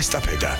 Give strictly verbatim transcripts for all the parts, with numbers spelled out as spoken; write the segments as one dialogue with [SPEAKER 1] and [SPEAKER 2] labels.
[SPEAKER 1] ესტაფეტა.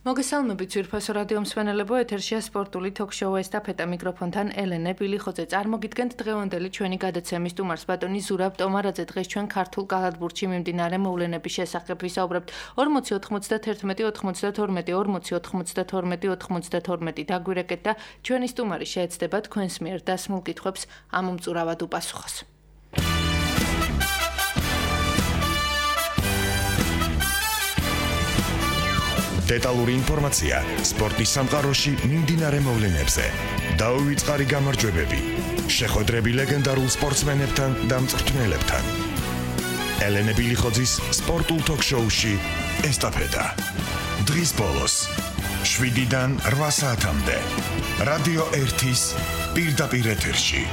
[SPEAKER 2] მოგესალმებით ძვირფასო რადიო მსმენელებო, ეთერშია სპორტული თოქ-შოუ ესტაფეტა, მიკროფონთან ელენე ბილიხოძე. წარმოგიდგენთ დღევანდელი ჩვენი გადაცემის სტუმარს, ბატონი ზურაბ ტომარაძე. დღეს ჩვენ ქართულ კალათბურთში მიმდინარე მოვლენების შესახებ ვისაუბრებთ. ორმოცი ოთხმოცდათერთმეტი ოთხმოცდათორმეტი ორმოცი ოთხმოცდათორმეტი ოთხმოცდათორმეტი დაგვირეკეთ და ჩვენი სტუმარი შეეცდება თქვენს მიერ დასმულ კითხვებს ამომწურავად უპასუხოს.
[SPEAKER 1] დეტალური ინფორმაცია სპორტის სამყაროში მიმდინარე მოვლენებზე. დაუვიწყარი გამარჯვებები. შეხვედრები ლეგენდარულ სპორტსმენებთან და მწვრთნელებთან. ელენე ბილიხოძის სპორტულ თოქ-შოუში ესტაფეტა. დღის ბოლოს შვიდიდან რვა საათამდე. რადიო ერთის პირდაპირ ეთერში.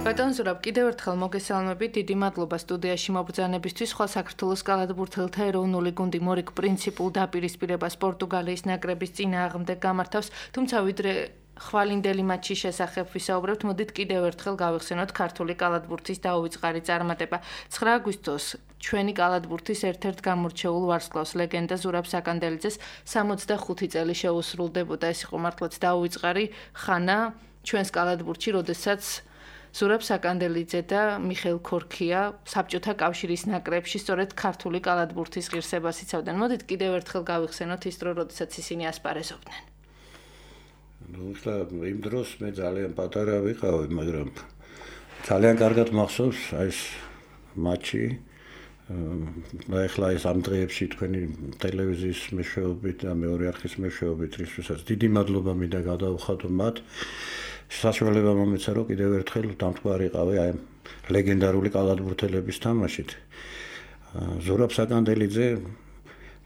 [SPEAKER 2] ბატონ ზურაბ, კიდევ ერთხელ მოგესალმებით, დიდი მადლობა სტუდიაში მობრძანებისთვის. სხვა საქართველოს კალათბურთელთა ეროვნული გუნდი მორიგ პრინციპულ დაპირისპირებას პორტუგალიის ნაკრების წინააღმდეგ გამართავს, თუმცა ვიდრე ხვალინდელი მატჩის შესახებ ვისაუბრებთ, მოდით კიდევ ერთხელ გავიხსენოთ ქართული კალათბურთის დაუვიწყარი წარმატება. ცხრა აგვისტოს ჩვენი კალათბურთის ერთ-ერთ გამორჩეულ ვარსკვლავს ლეგენდა ზურაბ საკანდელიძეს სამოცდახუთი წელი შეუსრულდებოდა. ეს იყო მართლაც დაუვიწყარი ხანა ჩვენს კალათბურთში, როდესაც ზურაბ საკანდელიძე და მიხეილ ქორქია საბჭოთა კავშირის ნაკრებში სწორედ ქართული კალათბურთის ღირსებას იცავდნენ. მოდით კიდევ ერთხელ გავიხსენოთ ის დრო, როდესაც ისინი ასპარეზობდნენ.
[SPEAKER 3] ნუ ხლა იმ დროს მე ძალიან პატარა ვიყავი, მაგრამ ძალიან კარგად მახსოვს აი ეს მატჩი. ახლა ეს ამ დღეებში თქვენი ტელევიზიის მეშვეობით და მეორე არხის მეშვეობით, რისთვისაც დიდი მადლობა მინდა გადავხადო მათ. საშუალება მომეცა, რომ კიდევ ერთხელ დამთვალიყავი აი ლეგენდარული კალათბურთელების თამაშით. ზურაბ საკანდელიძე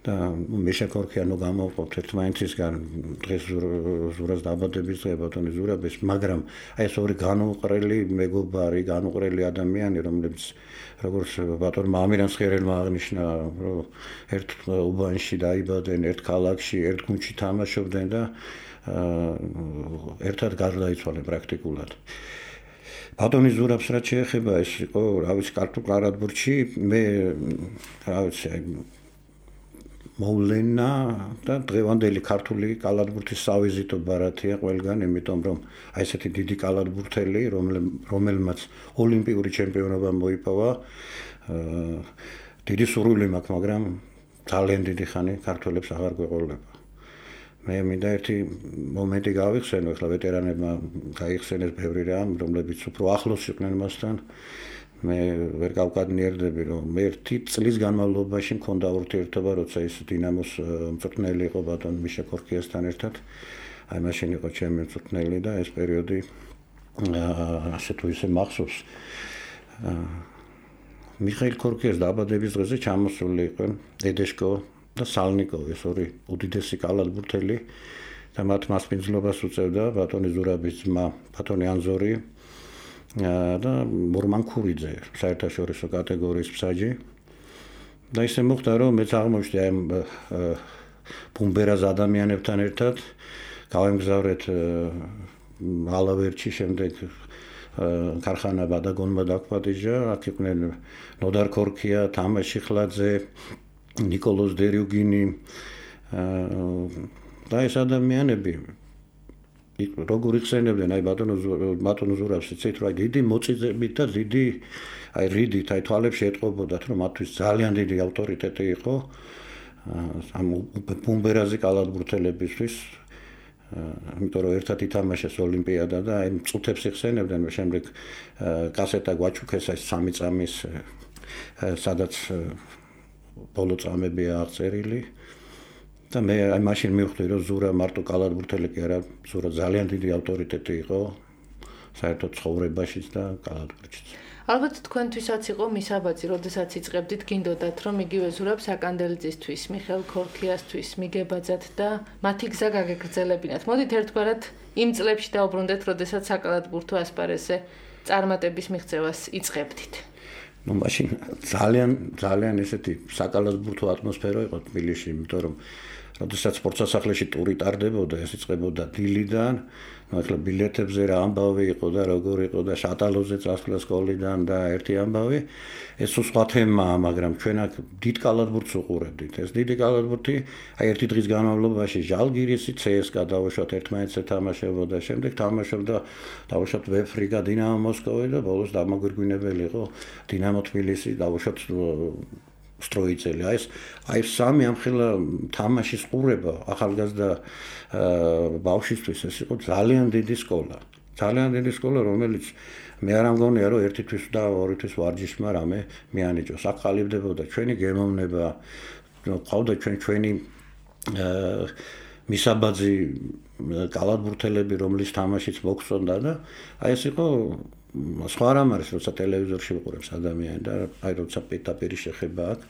[SPEAKER 3] და მიშა ქორქიანო გამოვყოფთ ერთმანეთისგან დღეს ზურაბს დაბადების დღე ბატონი ზურაბის, მაგრამ აი ეს ორი განუყრელი მეგობარი, განუყრელი ადამიანი, რომლებიც როგორც ბატონმა ამირან სხერელმა აღნიშნა, რომ ერთ უბანში დაიბადნენ, ერთ ქალაქში, ერთ გუნდში თამაშობდნენ და ერთად გარდაიცვალენ პრაქტიკულად. ბატონი ზურაბს რაც შეეხება, ეს იყო, რა ვიცი, ქართულ კალათბურთში მე რა ვიცი, მოვლენა და დღევანდელი ქართული კალათბურთის სავიზიტო ბარათია ყველგან, იმიტომ რომ აი ესეთი დიდი კალათბურთელი, რომელმაც ოლიმპიური ჩემპიონობა მოიპოვა, დიდი სურვილი მაქვს, მაგრამ ძალიან დიდი ხანი ქართველებს აღარ გვეყოლება. მე მინდა ერთი მომენტი გავიხსენო, ახლა ვეტერანებმა გაიხსენეს ბევრი რამ, რომლებიც უფრო ახლოს იყვნენ მასთან. მე ვერ გავკადნიერდები, რომ მე ერთი წლის განმავლობაში მქონდა ურთიერთობა, როცა ის დინამოს მწვრთნელი იყო ბატონ მიშა ქორქიასთან ერთად. აი მაშინ იყო ჩემი მწვრთნელი და ეს პერიოდი ასე თუ ისე მახსოვს. მიხეილ ქორქიას დაბადების დღეზე ჩამოსული იყვნენ დედეშკო და სალნიკოვი, ეს ორი უდიდესი კალათბურთელი და მათ მასპინძლობას უწევდა ბატონი ზურაბის ძმა, ბატონი ანზორი და მორმან ქურიძე, საერთაშორისო კატეგორიის მსაჯი. და ისე მოხდა, რომ მეც აღმოჩნდი აი ბუმბერას ადამიანებთან ერთად, გავემგზავრეთ ალავერჩი, შემდეგ ქარხანა ბადაგონმა დაგვპატიჟა, აქ იყვნენ ნოდარ ქორქია, თამაშ შიხლაძე, ნიკოლოზ დერიუგინი და ეს ადამიანები როგორ იხსენებდნენ აი ბატონო ბატონო ზურაბს, იცით რა დიდი მოწიწებით და დიდი აი რიდით აი თვალებში ეტყობოდათ, რომ მათთვის ძალიან დიდი ავტორიტეტი იყო ამ ბუმბერაზე კალათბურთელებისთვის, იმიტომ რომ ერთად ითამაშეს ოლიმპიადა და აი მწუთებს იხსენებდნენ, შემდეგ კასეტა გვაჩუქეს აი სამი წამის სადაც ბოლო წამებია აღწერილი და მე აი მაშინ მივხვდი, რომ ზურა მარტო კალათბურთელი კი არა, ზურა ძალიან დიდი ავტორიტეტი იყო საერთოდ ცხოვრებაშიც და კალათბურთშიც.
[SPEAKER 2] ალბათ თქვენთვისაც იყო მისაბაძი, როდესაც იწყებდით, გინდოდათ, რომ იგივე ზურაბ საკანდელიძისთვის, მიხეილ ქორქიასთვის, მიგებაძათ და მათი გზა გაგეგრძელებინათ. მოდით ერთგვარად იმ წლებში დაუბრუნდეთ, როდესაც საკალათბურთო ასპარეზზე წარმატების მიღწევას იწყებდით.
[SPEAKER 3] ნუ მაშინ ძალიან ძალიან ესეთი საკალათბურთო ატმოსფერო იყო თბილისში, იმიტომ რომ როდესაც სპორტსასახლეში ტური ტარდებოდა, ეს იწყებოდა დილიდან, ნუ ახლა ბილეთებზე რა ამბავი იყო და როგორ იყო და შატალოზე წასვლა სკოლიდან და ერთი ამბავი, ეს სხვა თემაა, მაგრამ ჩვენ აქ დიდ კალათბურთს უყურებდით. ეს დიდი კალათბურთი, აი ერთი დღის განმავლობაში ჟალგირისი, ცსკა დავუშვათ ერთმანეთზე თამაშებოდა, შემდეგ თამაშობდა დავუშვათ ვეფრიგა, დინამო მოსკოვი და ბოლოს დამაგვირგვინებელი იყო დინამო თბილისი, დავუშვათ სტროიცელი. აი ეს აი სამი ამხელა თამაშის ყურება ახალგაზრდა ბავშვისთვის ეს იყო ძალიან დიდი სკოლა. ძალიან დიდი სკოლა, რომელიც მე არ ამგონია, რომ ერთი თვის და ორი თვის ვარჯიშმა რამე მიანიჭოს. აქ ყალიბდებოდა ჩვენი გემოვნება, ყავდა ჩვენ ჩვენი მისაბაძი კალათბურთელები, რომლის თამაშიც მოგწონდა და აი ეს იყო სხვა რამ არის, როცა ტელევიზორში ვიყურებს ადამიანი და აი როცა პირდაპირ შეხება აქ,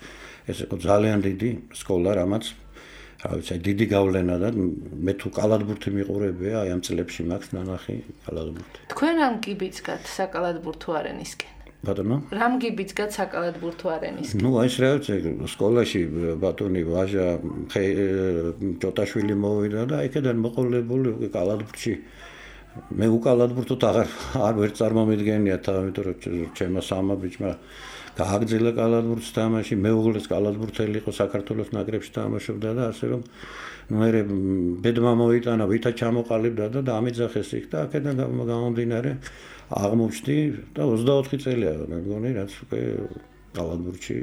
[SPEAKER 3] ეს იყო ძალიან დიდი სკოლა, რამაც რა ვიცი, დიდი გავლენა და მე თუ კალათბურთი მიყურებია, აი ამ წლებში მაქვს ნანახი კალათბურთი.
[SPEAKER 2] თქვენ რამ გიბიძგათ საკალათბურთო არენისკენ?
[SPEAKER 3] ბატონო?
[SPEAKER 2] რამ გიბიძგათ საკალათბურთო არენისკენ?
[SPEAKER 3] ნუ აი ეს რა ვიცი, სკოლაში ბატონი ვაჟა ჯოტაშვილი მოვიდა და იქიდან მოყოლებული კალათბურთში მე უკალათბურთოთ აღარ არ ვერ წარმომიდგენია თავი, იმიტომ რომ ჩემო სამა ბიჭმა გააგრძელა კალათბურთს თამაში, მეუღლეც კალათბურთელი იყო საქართველოს ნაკრებში თამაშობდა და ასე რომ მე ბედმა მოიტანა, ვითა ჩამოყალიბდა და დამიძახეს იქ და აქედან გამომდინარე აღმოჩნდი და ოცდაოთხი წელია მე მგონი, რაც უკვე კალათბურთში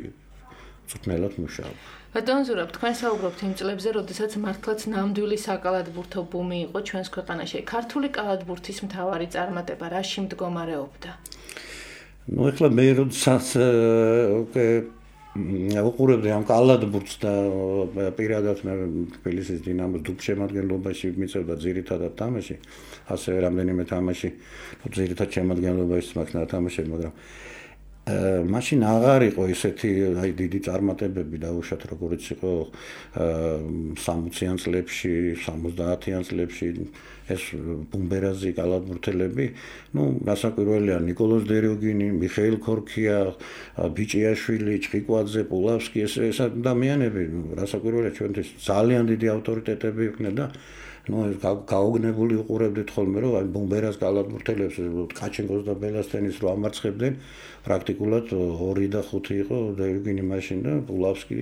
[SPEAKER 3] წვრთნელად მუშაობ.
[SPEAKER 2] ბატონ ზურაბ, თქვენ საუბრობთ იმ წლებზე, როდესაც მართლაც ნამდვილი საკალათბურთო ბუმი იყო ჩვენს ქვეყანაში. ქართული კალათბურთის მთავარი წარმატება რაში მდგომარეობდა?
[SPEAKER 3] ნუ ახლა მე როდესაც უკვე უყურებდი ამ კალათბურთს და პირადად მე თბილისის დინამოს დუბშემადგენლობაში მიწევდა ძირითადად თამაში, ასევე რამდენიმე თამაში ძირითად შემადგენლობაში მაქვს ნათამაშები, მაგრამ მაშინ აღარ იყო ისეთი აი დიდი წარმატებები დაუშვათ, როგორც იყო სამოციან წლებში, სამოცდაათიან წლებში ეს ბუმბერაზი კალათბურთელები, ნუ გასაკვირველია ნიკოლოზ დეროგინი, მიხეილ ქორქია, ბიჭიაშვილი, ჩხიკვაძე, პულავსკი, ეს ეს ადამიანები, გასაკვირველია ჩვენთვის ძალიან დიდი ავტორიტეტები იყვნენ და ნუ გაოგნებული უყურებდით ხოლმე, რომ აი ბუმბერას კალათბურთელებს კაჩენკოს და ბელასტენის რო ამარცხებდნენ, პრაქტიკულად ორი და ხუთი იყო დეროგინი მაშინ და პულავსკი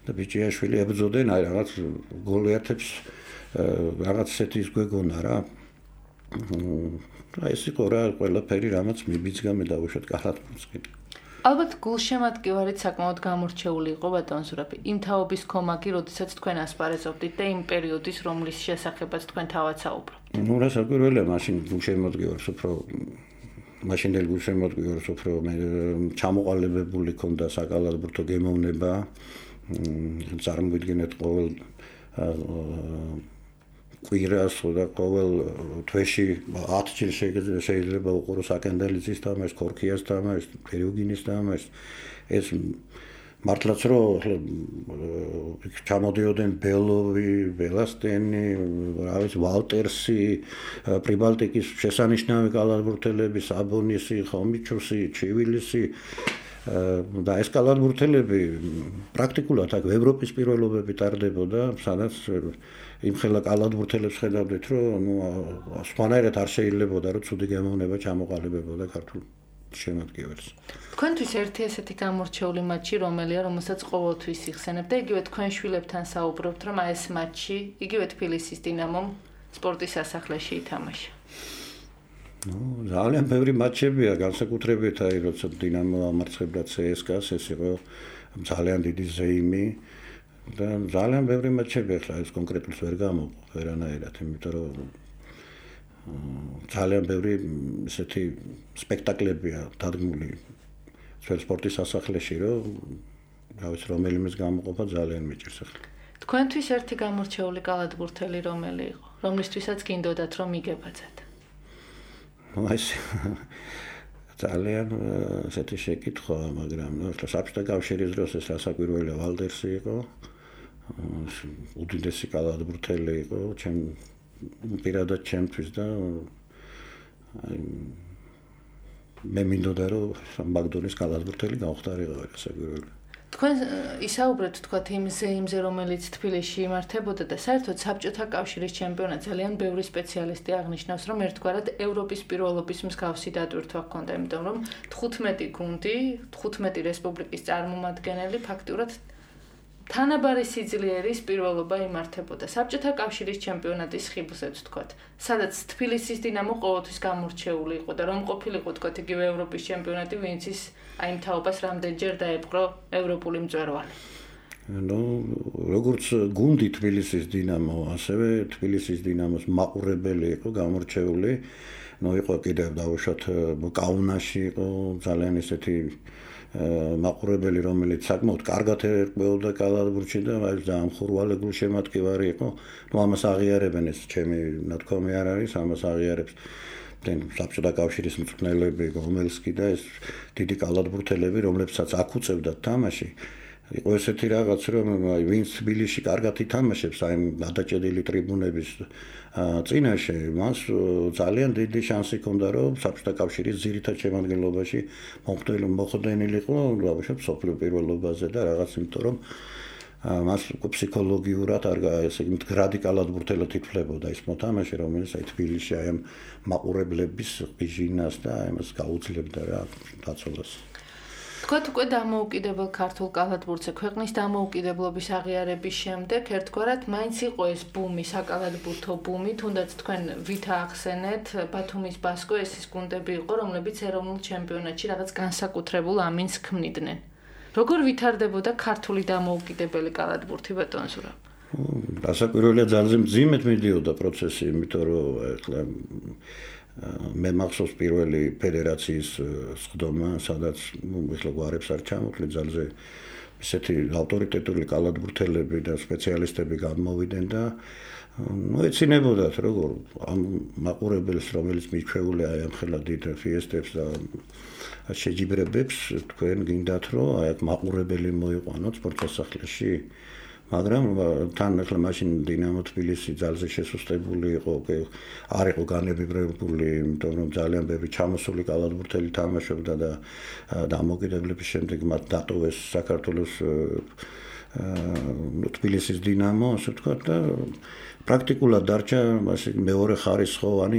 [SPEAKER 3] და ბიჭიაშვილი ებრძოდნენ აი რაღაც გოლიათებს რაღაც ესეთის გვეგონა რა. აი ეს იყო რა ყველაფერი, რამაც მიბიძგა მე დავუშვათ კალათბურთს.
[SPEAKER 2] ალბათ გულშემატკივარით საკმაოდ გამორჩეული იყო ბატონ ზურაბი. იმ თაობის კომაგი, როდესაც თქვენ ასპარეზობდით და იმ პერიოდის, რომლის შესახებაც თქვენ თავად საუბრობთ.
[SPEAKER 3] ნუ რა საკვირველია, მაშინ გულშემატკივარს უფრო მაშინდელ გულშემატკივარს უფრო მე ჩამოყალიბებული ქონდა საკალათბურთო გემოვნება. წარმოვიდგინეთ ყოველ კვირას და ყოველ თვეში ათ ჯერ შეიძლება უყურო საკანდელიძის თამაშს, ქორქიას თამაშს, დეროგინის თამაშს. ეს მართლაც რომ ჩამოდიოდნენ ბელოვი, ბელასტენი, რა ვიცი, ვალტერსი, პრიბალტიკის შესანიშნავი კალათბურთელები, საბონისი, ხომიჩუსი, ჩივილისი და ეს კალათბურთელები პრაქტიკულად აქ ევროპის პირველობები ტარდებოდა, სადაც იმხელა კალათბურთელებს ხედავდით, რომ ნუ სხვანაირად არ შეიძლებოდა, რომ ცუდი გემოვნება ჩამოყალიბებოდა ქართულ შემადგენლს.
[SPEAKER 2] თქვენთვის ერთი ესეთი გამორჩეული მატჩი, რომელია, რომელსაც ყოველთვის იხსენებთ და იგივე თქვენ შვილებთან საუბრობთ, რომ აი ეს მატჩი, იგივე თბილისის დინამომ სპორტის სასახლეში ითამაშა.
[SPEAKER 3] ნუ ძალიან ბევრი მატჩებია, განსაკუთრებით აი როცა დინამო ამარცხებდა ცსკას, ეს იყო ძალიან დიდი ზეიმი და ძალიან ბევრი მატჩები, ახლა ეს კონკრეტულს ვერ გამოვყო ვერანაირად, იმიტომ რომ ძალიან ბევრი ესეთი სპექტაკლებია დადგმული ძველ სპორტის სასახლეში, რომ რა ვიცი, რომელიმეს გამოყოფა ძალიან მიჭირს ახლა.
[SPEAKER 2] თქვენთვის ერთი გამორჩეული კალათბურთელი რომელი იყო, რომლისთვისაც გინდოდათ რომ იგებაძათ?
[SPEAKER 3] აი ეს ძალიან ესეთი შეკითხვა, მაგრამ ნუ საბჭოთა კავშირის დროს ეს რასაკვირველია ვალდერსი იყო. უდიდესი კალათბურთელი იყო, ჩემ პირადად ჩემთვის და მე მინდოდა რომ მაგდონის კალათბურთელი გავხდარიყო რასაკვირველია.
[SPEAKER 2] თქვენ ისაუბრეთ თქვათ იმზე, იმზე რომელიც თბილისში იმართებოდა და საერთოდ საბჭოთა კავშირის ჩემპიონატ ძალიან ბევრი სპეციალისტი აღნიშნავს, რომ ერთგვარად ევროპის პირველობის მსგავსი დატვირთვა ჰქონდა, იმიტომ რომ თხუთმეტი გუნდი, თხუთმეტი რესპუბლიკის წარმომადგენელი ფაქტურად თანაბარი სიძლიერის პირველობა იმართებოდა საბჭოთა კავშირის ჩემპიონატის ხიბლზეც თქვათ, სადაც თბილისის დინამო ყოველთვის გამორჩეული იყო და რომ ყოფილიყო თქვათ იგივე ევროპის ჩემპიონატი, ვინც ის აი ამ თაობას რამდენჯერ დაეპყრო ევროპული მწვერვალი.
[SPEAKER 3] ნუ როგორც გუნდი თბილისის დინამო, ასევე თბილისის დინამოს მაყურებელი იყო გამორჩეული. ნუ იყო კიდევ დავუშვათ კაუნაში იყო ძალიან ესეთი მაყურებელი, რომელიც საკმაოდ კარგად ერკვეოდა კალათბურთში და აი ძალიან ხურვალე გულშემატკივარი იყო. ნუ ამას აღიარებენ, ეს ჩემი ნათქვამი არ არის, ამას აღიარებს საბჭოთა კავშირის მწვრთნელები, გომელსკი და ეს დიდი კალათბურთელები, რომლებსაც აქ უწევდათ თამაში. იყო ესეთი რაღაც, რომ აი ვინც თბილისში კარგად ითამაშებს, აი გადაჭედილი ტრიბუნების წინაშე, მას ძალიან დიდი შანსი ჰქონდა, რომ საბჭოთა კავშირის ძირითად შემადგენლობაში მოხვდენილიყო, დავუშვათ სოფლიო პირველობაზე და რაღაც, იმიტომ რომ მას ფსიქოლოგიურად არ ესე იგი მდგრადი კალათბურთელად ითვლებოდა ის მოთამაშე, რომელიც აი თბილისში აი ამ მაყურებლების ღიჟინას და ამას გაუძლებდა რა დაცოლას.
[SPEAKER 2] თქვათ უკვე დამოუკიდებელ ქართულ კალათბურთზე ქვეყნის დამოუკიდებლობის აღიარების შემდეგ ერთგვარად მაინც იყო ეს ბუმი, საკალათბურთო ბუმი, თუნდაც თქვენ ვითა ახსენეთ, ბათუმის ბასკო ეს ის გუნდები იყო, რომლებიც ეროვნულ ჩემპიონატში რაღაც განსაკუთრებულ ამინს ქმნიდნენ. როგორ ვითარდებოდა ქართული დამოუკიდებელი კალათბურთი ბატონ ზურაბ?
[SPEAKER 3] რასაკვირველია ძალიან მძიმედ მიდიოდა პროცესი, იმიტომ რომ ეხლა მე მახსოვს პირველი ფედერაციის სხდომა, სადაც ეხლა გვარებს არ ჩამოთვლი ძალზე ესეთი ავტორიტეტული კალათბურთელები და სპეციალისტები გამოვიდნენ და ნუ ეცინებოდათ როგორ ამ მაყურებელს, რომელიც მიჩვეულია აი ამ ხელა დიდ ფიესტებს და შეჯიბრებებს, თქვენ გინდათ რომ აი აქ მაყურებელი მოიყვანოთ სპორტსახლებში, მაგრამ თან ახლა მაშინ დინამო თბილისი ძალზე შესუსტებული იყო, არ იყო განებიბრებული, იმიტომ რომ ძალიან ბევრი ჩამოსული კალათბურთელი თამაშობდა და დამოუკიდებლობის შემდეგ მათ დატოვეს საქართველოს თბილისის დინამო, ასე ვთქვათ და პრაქტიკულად დარჩა მეორე ხარისხოვანი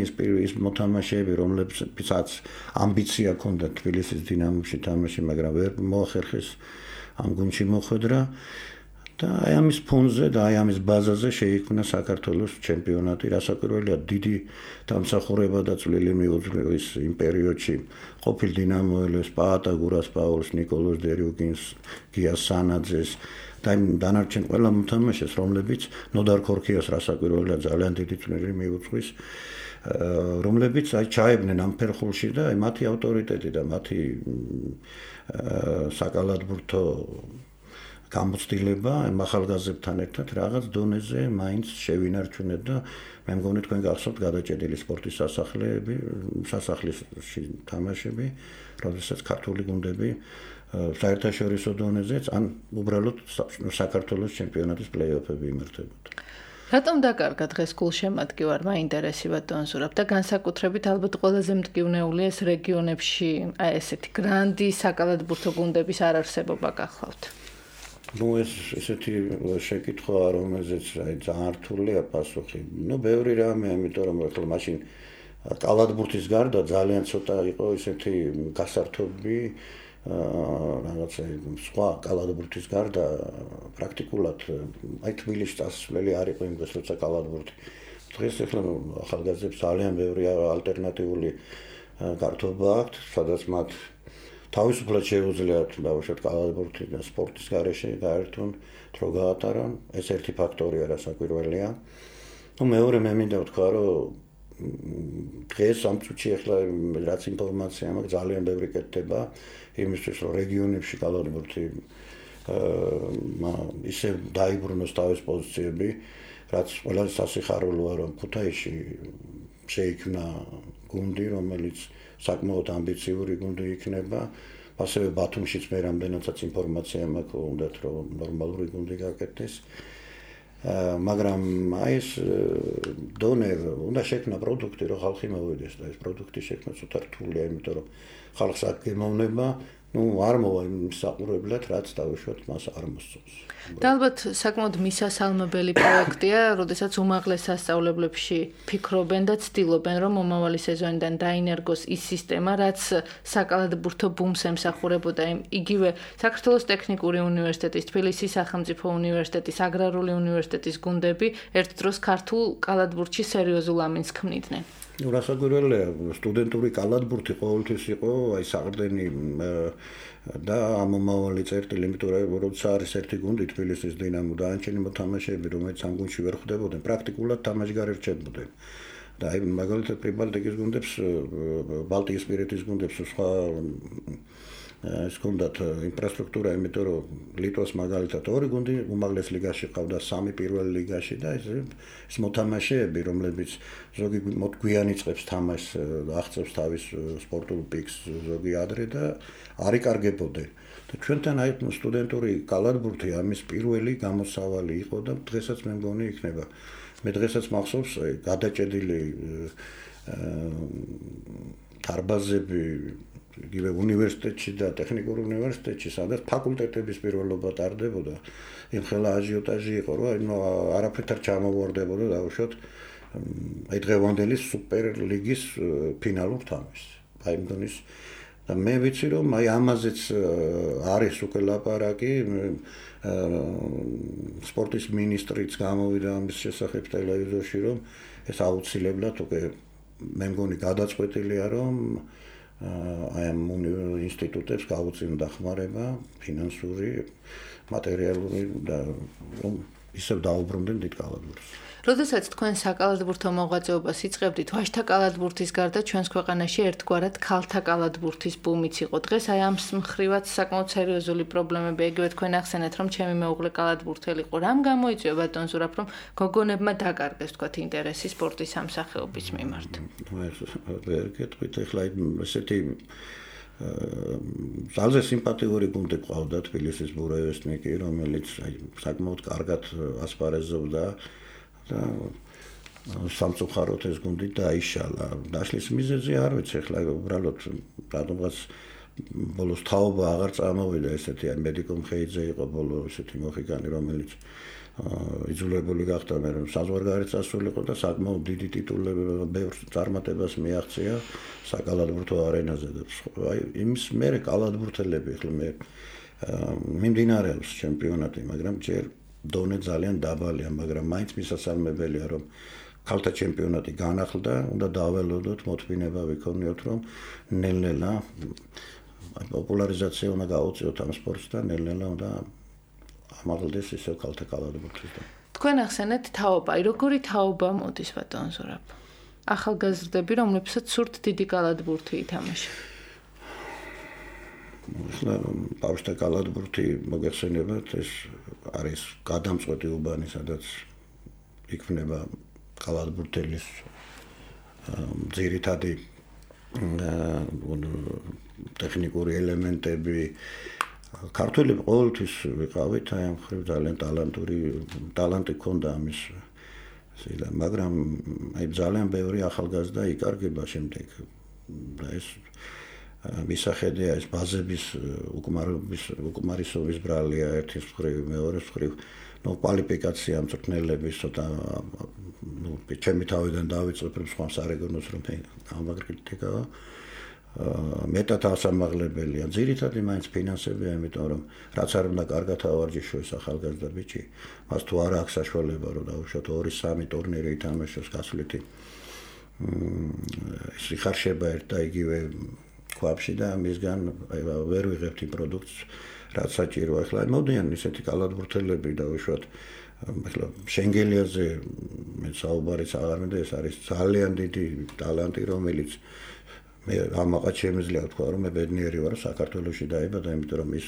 [SPEAKER 3] ის მოთამაშეები, რომლებსაც ამბიცია ჰქონდათ თბილისის დინამოში თამაში, მაგრამ ვერ მოახერხეს ამ გუნდში მოხვედრა. და აი ამის ფონზე და აი ამის ბაზაზე შეიქმნა საქართველოს ჩემპიონატი, რასაკვირველია დიდი დამსახურება და წვლილი მიუძღვა ის იმ პერიოდში ყოფილ დინამოელებს, პაატა გურასპაულს, ნიკოლოზ დერიუკინს, გიას სანაძეს და იმ დანარჩენ ყველა მოთამაშეს, რომლებიც ნოდარ ქორქიას რასაკვირველია ძალიან დიდი წვლილი მიუძღვის, რომლებიც აი ჩაებდნენ ამ ფერხულში და აი მათი ავტორიტეტი და მათი საკალათბურთო გამოცდილება ამ ახალგაზრდებთან ერთად რაღაც დონეზე მაინც შევინარჩუნეთ და მე მგონი თქვენ გახსოვთ გადაჭედილი სპორტის სასახლეები, სასახლეში თამაშები, როდესაც ქართული გუნდები საერთაშორისო დონეზეც ან უბრალოდ საქართველოს ჩემპიონატის პლეი-ოფები იმართებოდა.
[SPEAKER 2] რატომ დაკარგა დღეს გულშემატკივარმა ინტერესი ბატონ ზურაბ და განსაკუთრებით ალბათ ყველაზე მტკივნეული ეს რეგიონებში აი ესეთი გრანდი საკალათბურთო გუნდების არარსებობა გახლავთ?
[SPEAKER 3] ნუ ეს ესეთი შეკითხვა, რომელზეც აი ძალიან რთულია პასუხი. ნუ ბევრი რამე, იმიტომ რომ ახლა მაშინ კალათბურთის გარდა ძალიან ცოტა იყო ესეთი გასართობი რაღაცა სხვა კალათბურთის გარდა პრაქტიკულად აი თბილისში წასვლელი არ იყო იმ დროს, როცა კალათბურთი. დღეს ახლა ახალგაზრდებს ძალიან ბევრი ალტერნატიული გართობა აქვთ, სადაც მათ თავისუფლად შეუძლიათ დავუშვათ კალათბურთი და სპორტის გარეშე გაერთონ, დრო გაატარონ, ეს ერთი ფაქტორია რასაკვირველია. ნუ მეორე მე მინდა ვთქვა, რომ დღეს ამ წუთში ახლა რაც ინფორმაცია მაქვს ძალიან ბევრი კეთდება იმისთვის, რომ რეგიონებში კალათბურთი ისე დაიბრუნოს თავის პოზიციები, რაც ყველაზე სასიხარულოა, რომ ქუთაისში შეიქმნა გუნდი, რომელიც საკმაოდ ამბიციური გუნდი იქნება. ასევე ბათუმშიც მე რამდენადაც ინფორმაცია მაქვს, უნდათ რომ ნორმალური გუნდი გაკეთდეს. მაგრამ აი ეს დონე უნდა შექმნა პროდუქტი, რომ ხალხი მოვიდეს და ეს პროდუქტი შექმნა ცოტა რთულია, იმიტომ რომ ხალხს აქ გემოვნება, ну, არ მოვა იმ საყურებლად, რაც დავუშვათ, მას არ მოსწონს.
[SPEAKER 2] და ალბათ საკმაოდ მისასალმებელი პროექტია, როდესაც უმაღლეს სასწავლებლებში ფიქრობენ და ცდილობენ, რომ მომავალი სეზონიდან დაინერგოს ის სისტემა, რაც საკალათბურთო ბუმს ემსახურებოდა. იგივე საქართველოს ტექნიკური უნივერსიტეტის, თბილისის სახელმწიფო უნივერსიტეტის, აგრარული უნივერსიტეტის გუნდები ერთ დროს ქართულ კალათბურთში სერიოზულ ამინს ქმნიდნენ.
[SPEAKER 3] ну რასაკვირველია სტუდენტური კალათბურთი ყოველთვის იყო აი საყრდენი და ამომავალი წერტილი, იმიტომ რომ როცა არის ერთი გუნდი თბილისის დინამო და ანჩენი მოთამაშეები, რომელიც ამ გუნდში ვერ ხვდებოდნენ, პრაქტიკულად თამაშგარ ერჩებოდნენ. და აი მაგალითად პრიბალტიკის გუნდებს, ბალტიისპირეთის გუნდებს სხვა ეს გუნდათ ინფრასტრუქტურა, იმიტომ რომ ლიტვას მაგალითად ორი გუნდი უმაღლეს ლიგაში ყავდა, სამი პირველ ლიგაში და ეს ეს მოთამაშეები, რომლებიც ზოგი გვიან იწყებს თამაშს, აღწევს თავის სპორტულ პიკს, ზოგი ადრე და არ იკარგებოდნენ. და ჩვენთან აი სტუდენტური კალათბურთი ამის პირველი გამოსავალი იყო და დღესაც მე მგონი იქნება. მე დღესაც მახსოვს გადაჭედილი დარბაზები იგივე უნივერსიტეტში და ტექნიკურ უნივერსიტეტში, სადაც ფაკულტეტების პირველობა ტარდებოდა, იმ ხელა აჟიოტაჟი იყო, რომ არაფრით არ ჩამოვარდებოდა დავუშვათ აი დღევანდელი სუპერლიგის ფინალურ თამაშს. აი მგონის და მე ვიცი რომ აი ამაზეც არის უკვე ლაპარაკი, სპორტის მინისტრიც გამოვიდა ამის შესახებ ტელევიზორში, რომ ეს აუცილებლად უკვე მე მგონი გადაწყვეტილია, რომ აი ამ ინსტიტუტებს გაუწიონ დახმარება ფინანსური, მატერიალური და რომ ისევ დაუბრუნდნენ დიდ კალათბურთს.
[SPEAKER 2] როდესაც თქვენ საკალათბურთო მოღვაწეობას იწყებდით, ვაჟთა კალათბურთის გარდა ჩვენს ქვეყანაში ერთგვარად ქალთა კალათბურთის ბუმიც იყო. დღეს აი ამ მხრივაც საკმაოდ სერიოზული პრობლემები, იგივე თქვენ ახსენეთ, რომ ჩემი მეუღლე კალათბურთელი იყო. რამ გამოიწვია ბატონ ზურაბ, რომ გოგონებმა დაკარგეს თქვათ ინტერესი სპორტის ამ სახეობის მიმართ?
[SPEAKER 3] ვერ გეტყვით, ეხლა ესეთი ძალზე სიმპათიური გუნდი ყავდა თბილისის ბურევესნიკი, რომელიც აი საკმაოდ კარგად ასპარეზობდა და სამწუხაროდ ეს გუნდი დაიშალა. დაშლის მიზეზი არ ვიცი, ეხლა უბრალოდ რადგანაც ბოლოს თაობა აღარ წამოვიდა, ესეთი აი მედიკო მხეიძე იყო ბოლო ესეთი მოხიგანი, რომელიც იძულებული გახდა მე რომ საზღვარგარეთ წასულიყო და საკმაოდ დიდი ტიტულები ბევრ წარმატებას მიაღწია საკალათბურთო არენაზე და აი იმის მერე კალათბურთელები ეხლა მე მიმდინარეობს ჩემპიონატი, მაგრამ ჯერ დონე ძალიან დაბალია, მაგრამ მაინც მისასალმებელია, რომ ქალთა ჩემპიონატი განახლდა, უნდა დაველოდოთ, მოთმინება ვიქონიოთ, რომ ნელ-ნელა პოპულარიზაცია უნდა გაუწიოთ ამ სპორტს და ნელ-ნელა უნდა ამაღლდეს ისევ ქალთა კალათბურთის.
[SPEAKER 2] თქვენ ახსენეთ თაობა, როგორი თაობა მოდის ბატონ ზურაბ? ახალგაზრდები, რომლებსაც სურთ დიდი კალათბურთი ითამაშა.
[SPEAKER 3] ახლა ბავშვთა კალათბურთი მოგეხსენებათ, ეს არის გადამწყვეტი უბანი, სადაც იქმნება კალათბურთელის ძირითადი ტექნიკური ელემენტები. ქართველები ყოველთვის ვიყავით, აი ამ ხრივ ძალიან ტალანტური ტალანტი ჰქონდა ამის, მაგრამ აი ძალიან ბევრი ახალგაზრდა იკარგება შემდეგ და ეს მისახედია ეს ბაზების უკმარობის უკმარისობის ბრალია ერთის მხრივ, მეორეს მხრივ, ნუ კვალიფიკაცია მწვრთნელების ცოტა ნუ ჩემი თავიდან დავიწყებ რომ სხვა სარეგიონოს რომ მე ამაგრიტიკაა მეტად ასამაღლებელია. ძირითადად მაინც ფინანსებია, იმიტომ რომ რაც არ უნდა კარგად ავარჯიშოს ახალგაზრდა ბიჭი, მას თუ არ აქვს საშუალება რომ დაუშვათ ორი სამი ტურნირი ითამაშოს გასვლითი ის იხარშება ერთ და იგივე ქვაბში და მისგან ვერ ვიღებთ იმ პროდუქტს, რაც საჭიროა. ახლა მოდიან ისეთი კალათბურთელები დაუშვათ ახლა შენგელიაზე მე საუბარიც აღარ მინდა, ეს არის ძალიან დიდი ტალანტი, რომელიც მე ამაყად შემიძლია ვთქვა, რომ მე ბედნიერი ვარ, საქართველოში დაიბადა, იმიტომ რომ ის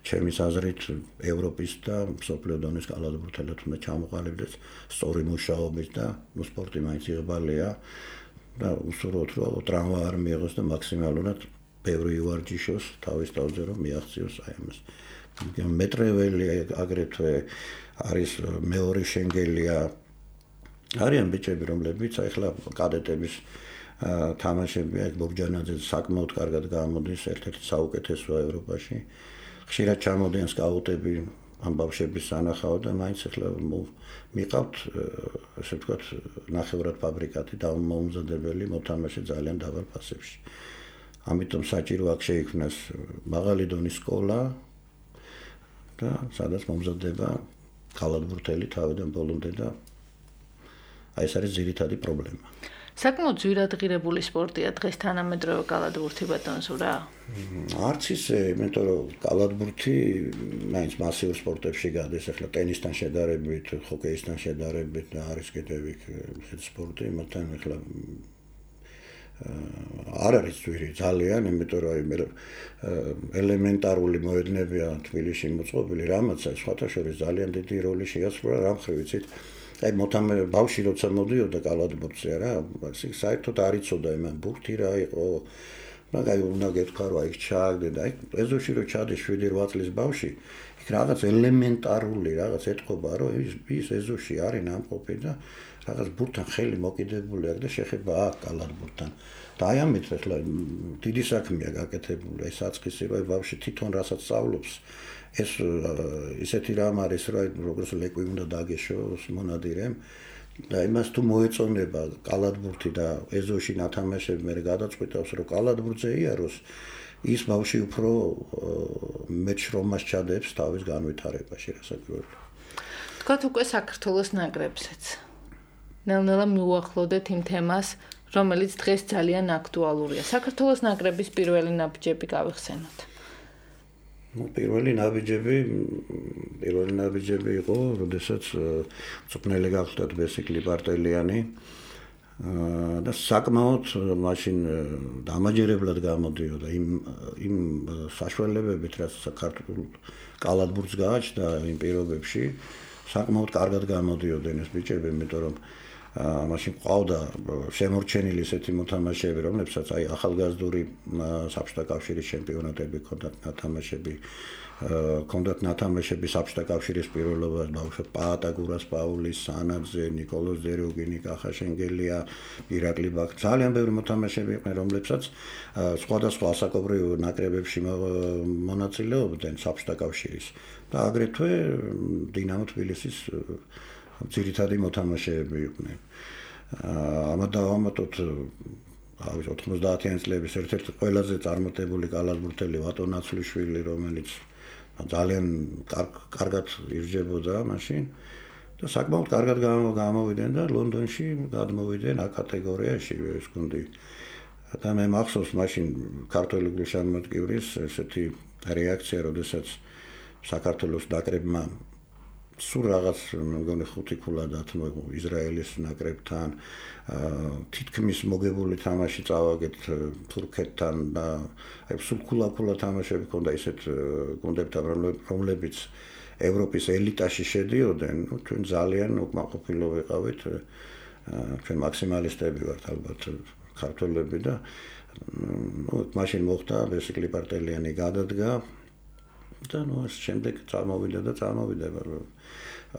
[SPEAKER 3] ჩემის აზრით ევროპის და მსოფლიო დონის კალათბურთელად უნდა ჩამოყალიბდეს სწორი მუშაობით და ნუ სპორტი მაინც იღბალია. და უსურვოთ რომ ტრავმა არ მიიღოს და მაქსიმალურად ბევრი ვარჯიშოს თავის თავზე რომ მიაღწიოს აი ამას. მეტრეველი აგრეთვე არის მეორე შენგელია. არიან ბიჭები რომლებიც ახლა კადეტების თამაშები აი ბოგჯანაძე საკმაოდ კარგად გამოდის ერთ-ერთი საუკეთესოა ევროპაში. ხშირად ჩამოდიან სკაუტები ამ ბავშვების სანახავად და მაინც ახლა მიყავთ ასე ვთქვათ ნახევრად ფაბრიკატი და მომზადებელი მოთამაშე ძალიან დაბალ ფასებში. ამიტომ საჭირო აქ შეიქმნას მაღალი დონის სკოლა და სადაც მომზადდება კალათბურთელი თავიდან ბოლომდე და აი ეს არის ძირითადი პრობლემა.
[SPEAKER 2] საკმაოდ ძვირადღირებული სპორტია დღეს თანამედროვე კალათბურთი ბატონსურა.
[SPEAKER 3] არც ისე, იმიტომ რომ კალათბურთი მაინც მასიურ სპორტებში გადის, ახლა ტენისთან შედარებით, ჰოკეისთან შედარებით და არის კიდევ იქ ესეთი სპორტი, მაგრამ ახლა არ არის ძვირი ძალიან, იმიტომ რომ ელემენტარული მოედნებია თბილისში მოწყობილი, რამაც სხვათა შორის ძალიან დიდი როლი შეასრულა, რა მხრივ ვიცით. აი მოთამე ბავშვი როცა მოდიოდა კალათბურთზე რა, საერთოდ არ იცოდა იმან ბურთი რა იყო. მაგარი უნდა გეთქვა რომ აი ჩააგდე და აი ეზოში რო ჩადის შვიდი რვა წლის ბავშვი, იქ რაღაც ელემენტარული რაღაც ეთქობა რომ ის ის ეზოში არის ნამყოფი და რაღაც ბურთთან ხელი მოკიდებული აქვს და შეხება აქვს კალათბურთთან. და აი ამით ახლა დიდი საქმეა გაკეთებული, აი საწყისი რომ აი ბავშვი თვითონ რასაც სწავლობს ეს ისეთი რამ არის რომ როგორც ლეკვი უნდა დაგეშოს მონადირემ და იმას თუ მოეწონება კალათბურთი და ეზოში ნათამაშები მე გადაწყვეტავს რომ კალათბურთზე იაროს ის ბავშვი უფრო მეტ შრომას ჩადებს თავის განვითარებაში რასაკვირველია.
[SPEAKER 2] თქვათ უკვე საქართველოს ნაკრებსაც. ნელ-ნელა მიუახლოვდეთ იმ თემას, რომელიც დღეს ძალიან აქტუალურია. საქართველოს ნაკრების პირველი ნაბიჯები გავიხსენოთ.
[SPEAKER 3] ну პირველი ნაბიჯები პირველი ნაბიჯები იყო, როდესაც წვრთნელი გახლდათ ბესიკლი პარტელიანი და საკმაოდ მაშინ დამაჯერებლად გამოდიოდა იმ იმ საშუალებებით, რაც საქართველოს კალათბურთს გააჩნდა იმ პირობებში, საკმაოდ კარგად გამოდიოდნენ ეს ბიჭები, იმიტომ რომ მაშინ ყავდა შემორჩენილი ესეთი მოთამაშეები, რომლებსაც აი ახალგაზრდული საბჭოთა კავშირის ჩემპიონატები ჰქონდათ ნათამაშები, ჰქონდათ ნათამაშები საბჭოთა კავშირის პირველობას, ბავშვად პაატაგურას, პაულის, სანაძე, ნიკოლოზ დეროგინი, კახა შენგელია, ირაკლი ბაქ, ძალიან ბევრი მოთამაშეები იყვნენ, რომლებსაც სხვადასხვა ასაკობრივ ნაკრებებში მონაწილეობდნენ საბჭოთა კავშირის და აგრეთვე დინამო თბილისის ძირითადი მოთამაშეები იყვნენ. ამათ დავამატოთ ავი ოთხმოცდაათიანი წლების ერთ-ერთი ყველაზე წარმატებული კალათბურთელი ვატო ნაცვლიშვილი, რომელიც ძალიან კარგად ირჯებოდა მაშინ და საკმაოდ კარგად გამოვიდნენ და ლონდონში გადმოვიდნენ A კატეგორიაში ეს გუნდი. და მე მახსოვს მაშინ ქართველი გულშემატკივრის ესეთი რეაქცია, როდესაც საქართველოს ნაკრებმა სულ რაღაც მეგონი ხუთი ქულა დათმო ისრაელის ნაკრებთან, თითქმის მოგებული თამაში წავაგეთ თურქეთთან და აი სულ ქულა-ქულა თამაშები ჰქონდა ისეთ გუნდებთან, რომლებიც ევროპის ელიტაში შედიოდნენ, ჩვენ ძალიან უკმაყოფილო ვიყავით, ჩვენ მაქსიმალისტები ვართ ალბათ ქართველები და მაშინ მოხდა ბესიკლი პარტელიანი გადადგა და ნუ ეს შემდეგ წამოვიდა და წამოვიდა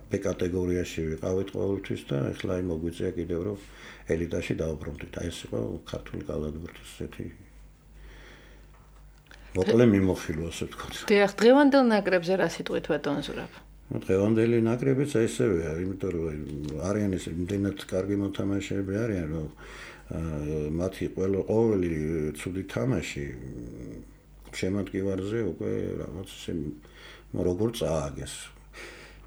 [SPEAKER 3] B კატეგორიაში ვიყავით ყოველთვის და ახლა აი მოგვიწია კიდევ რომ ელიტაში დავბრუნდით. აი ეს იყო ქართული კალათბურთის ესეთი მოკლე მიმოხილვა, ასე ვთქვათ.
[SPEAKER 2] დიახ, დღევანდელ ნაკრებზე რა სიტყვით ბატონზურაბ?
[SPEAKER 3] ну დღევანდელი ნაკრებიც ესევეა, იმიტომ რომ არიან ეს იმდენად კარგი მოთამაშეები არიან, რომ მათი ყოველი ცუდი თამაში შემატკივარზე უკვე რაღაც ისე როგორ წააგეს.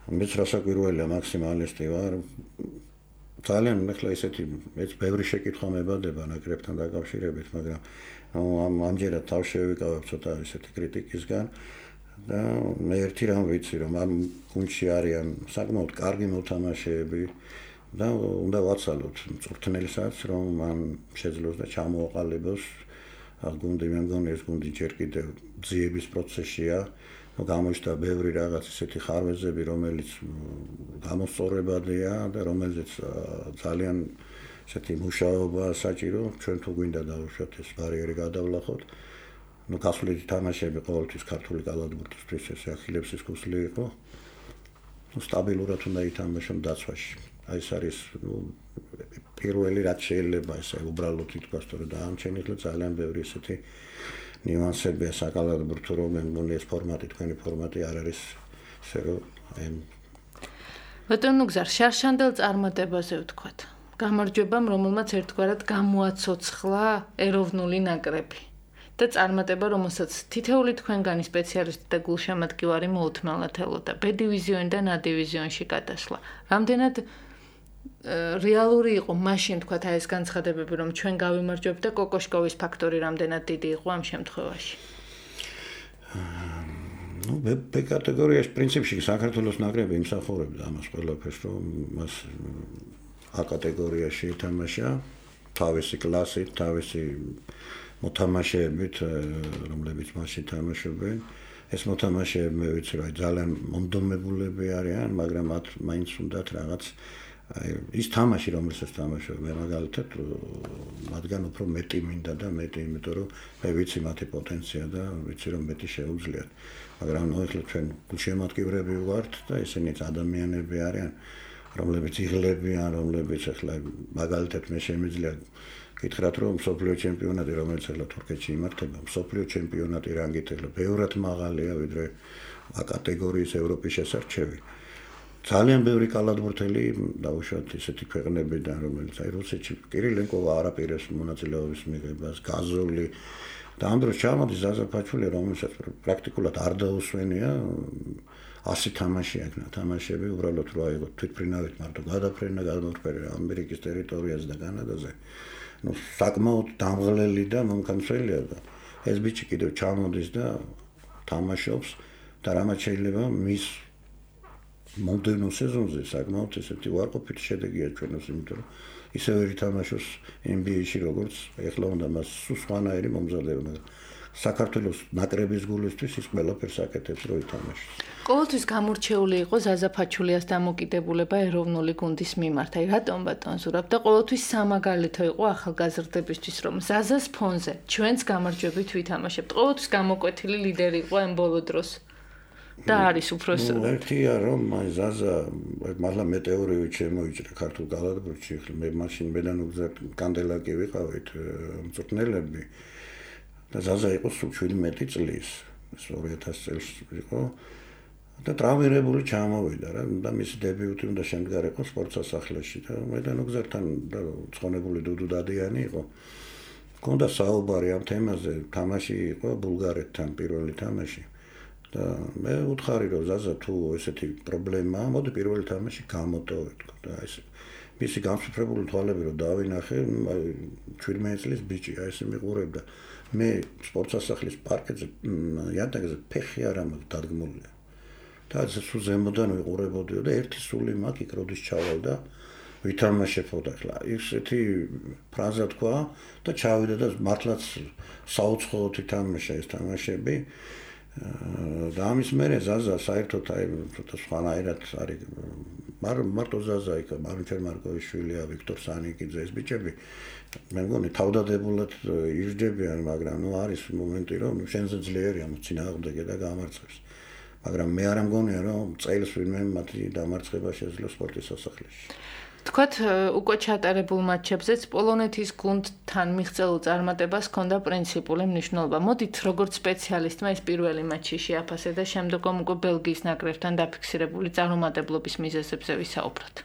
[SPEAKER 3] მეც რასაკვირველია მაქსიმალისტი ვარ. ძალიან ახლა ისეთი მეც ბევრი შეკითხვა მებადება ნაკრებთან დაკავშირებით, მაგრამ ამ ამჯერად თავ შევიკავებ ცოტა ისეთი კრიტიკისგან და მე ერთი რამ ვიცი, რომ ამ გუნდში არიან საკმაოდ კარგი მოთამაშეები და უნდა ვაცალოთ მწვრთნელსაც, რომ მან შეძლოს და ჩამოაყალიბოს გუნდი. მე მგონი ეს გუნდი ჯერ კიდევ ძიების პროცესშია. გამოჩნდა ბევრი რაღაც ისეთი ხარვეზები, რომელიც გამოსწორებადია და რომელზეც ძალიან ესეთი მუშაობა საჭირო, ჩვენ თუ გვინდა დავუშვათ ეს ბარიერი გადავლახოთ. ნუ გასვლით თამაშები ყოველთვის ქართული კალათბურთისთვის ესე ახილებს კუსლი იყო. ნუ სტაბილურად უნდა ითამაშონ დაცვაში. აი ეს არის ნუ პირველი რაც შეიძლება ესე უბრალოდ ითქვას, რომ დაამჩენილ ძალიან ბევრი ესეთი ნიუანსებია საკალათბურთო, რომ მე მგონი ეს ფორმატი, თქვენი ფორმატი არ არის ესე რომ აი
[SPEAKER 2] ბატონო გზარ შარშანდელ წარმატებაზე ვთქვათ. გამარჯვებამ, რომელმაც ერთგვარად გამოაცოცხლა ეროვნული ნაკრები. და წარმატება, რომელსაც თითეული თქვენგანი სპეციალისტი და გულშემატკივარი მოუთმელად ელოდა. ბ დივიზიონიდან ა დივიზიონში გადასვლა. რამდენად რეალური იყო მაშინ თქვათ აი ეს განცხადებები, რომ ჩვენ გავიმარჯვებთ და კოკოშკოვის ფაქტორი რამდენად დიდი იყო ამ შემთხვევაში?
[SPEAKER 3] ნუ ბ კატეგორიაში პრინციპში საქართველოს ნაკრები იმსახურებდა ამას ყველაფერს, რომ მას ა კატეგორიაში ითამაშა თავისი კლასით, თავისი მოთამაშეებით, რომლებიც მასში თამაშობენ. ეს მოთამაშეები მე ვიცი, რომ ძალიან მომდომებულები არიან, მაგრამ მათ მაინც უნდათ რაღაც აი ის თამაში, რომელსაც თამაშობენ, მე მაგალითად მათგან უფრო მეტი მინდა და მეტი, იმიტომ რომ მე ვიცი მათი პოტენცია და ვიცი რომ მეტი შეუძლიათ. მაგრამ ნუ ახლა ჩვენ გულშემატკივრები ვართ და ესენიც ადამიანები არიან, რომლებიც იღლებიან, რომლებიც ახლა მაგალითად მე შემიძლია გითხრათ რომ მსოფლიო ჩემპიონატი რომელიც ახლა თურქეთში იმართება, მსოფლიო ჩემპიონატი რანგით ახლა ბევრად მაღალია ვიდრე ა კატეგორიის ევროპის შესარჩევი. ძალიან ბევრი კალათბურთელი დაუშვათ ისეთი ქვეყნებიდან, რომელიც აი რუსეთში კირილენკოვა არაპირებს მონაწილეობის მიღებას, გაზოლი და ამ დროს ჩამოდის ზაზა ფაჩული, რომელსაც პრაქტიკულად არ დაუსვენია ასი თამაში აქნა თამაშები უბრალოდ რო აიღო თვითფრინავით მარტო გადაფრენა გადმოფრენა ამერიკის ტერიტორიაზე და კანადაზე. ნუ საკმაოდ დამღლელი და მომხმარებელია და ეს ბიჭი კიდევ ჩამოდის და თამაშობს და რამაც შეიძლება მის მომდევნო სეზონზე საკმაოდ ესეთი უარყოფითი შედეგია ჩვენს, იმიტომ რომ ისე ვერ ითამაშოს ენ ბი ეი-ში როგორც ეხლა უნდა მას სხვანაირი მომზადება, მაგრამ საქართველოს ნაკრების გულისთვის ის ყველაფერს აკეთებს რომ ითამაშოს.
[SPEAKER 2] ყოველთვის გამორჩეული იყო ზაზა ფაჩულიას დამოკიდებულება ეროვნული გუნდის მიმართ. აი რატომ ბატონ ზურაბ და ყოველთვის სამაგალითო იყო ახალგაზრდებისთვის, რომ ზაზას ფონზე ჩვენც გამარჯვებით ვითამაშებთ. ყოველთვის გამოკვეთილი ლიდერი იყო ამ ბოლო დროს. და არის უფრო
[SPEAKER 3] ნუ ერთია რომ აი ზაზა მართლა მეტეორივით შემოიჭრა ქართულ კალათბურთში, ხლა მე მაშინ მედან უგზარ კანდელაკი ვიყავით მწვრთნელები და ზაზა იყო სულ შვიდმეტი წლის, ეს ორი ათასი წელს იყო და ტრავმირებული ჩამოვიდა რა და მისი დებიუტი უნდა შემდგარიყო სპორტ სასახლეში და მედან უგზართან და ცხონებული დუდუ დადიანი იყო. მქონდა საუბარი ამ თემაზე, თამაში იყო ბულგარეთთან პირველი თამაში. და მე უთხარი რომ ზაზა თუ ესეთი პრობლემაა, მოდი პირველი თამაში გამოტოვე თქო და ეს მისი განსუფრებული თვალები რომ დავინახე, აი შვიდმეტი წლის ბიჭი, აი ესე მიყურებდა. მე სპორტ სასახლის პარკეთზე იატაკზე ფეხი არ ამაქვს დადგმულია. და სულ ზემოდან ვიყურებოდიო და ერთი სული მაგ იქ როდის ჩავალ და ვითამაშებოდა ხლა. ისეთი ფრაზა თქვა და ჩავიდა და მართლაც საუცხოოდ ითამაშა ეს თამაშები. და ამის მერე ზაზა საერთოდ აი ცოტა სხვანაირად არის მარტო ზაზა იქა მარუჩერ მარკოვიშვილია, ვიქტორ სანიკიძე ეს ბიჭები მე მგონი თავდადებულად ირჯდებიან, მაგრამ ნუ არის მომენტი რომ შენზე ძლიერია მოწინააღმდეგე და გამარცხებს. მაგრამ მე არ მგონია რომ წელს ვინმე მათი დამარცხება შეძლო სპორტის სასახლეში.
[SPEAKER 2] თქვათ უკვე ჩატარებულ მატჩებზეც პოლონეთის გუნდთან მიღწეულ წარმატებას ჰქონდა პრინციპული მნიშვნელობა. მოდით როგორც სპეციალისტმა ეს პირველი მატჩი შეაფასე და შემდგომ უკვე ბელგიის ნაკრებთან დაფიქსირებული წარუმატებლობის მიზეზებზე ვისაუბროთ.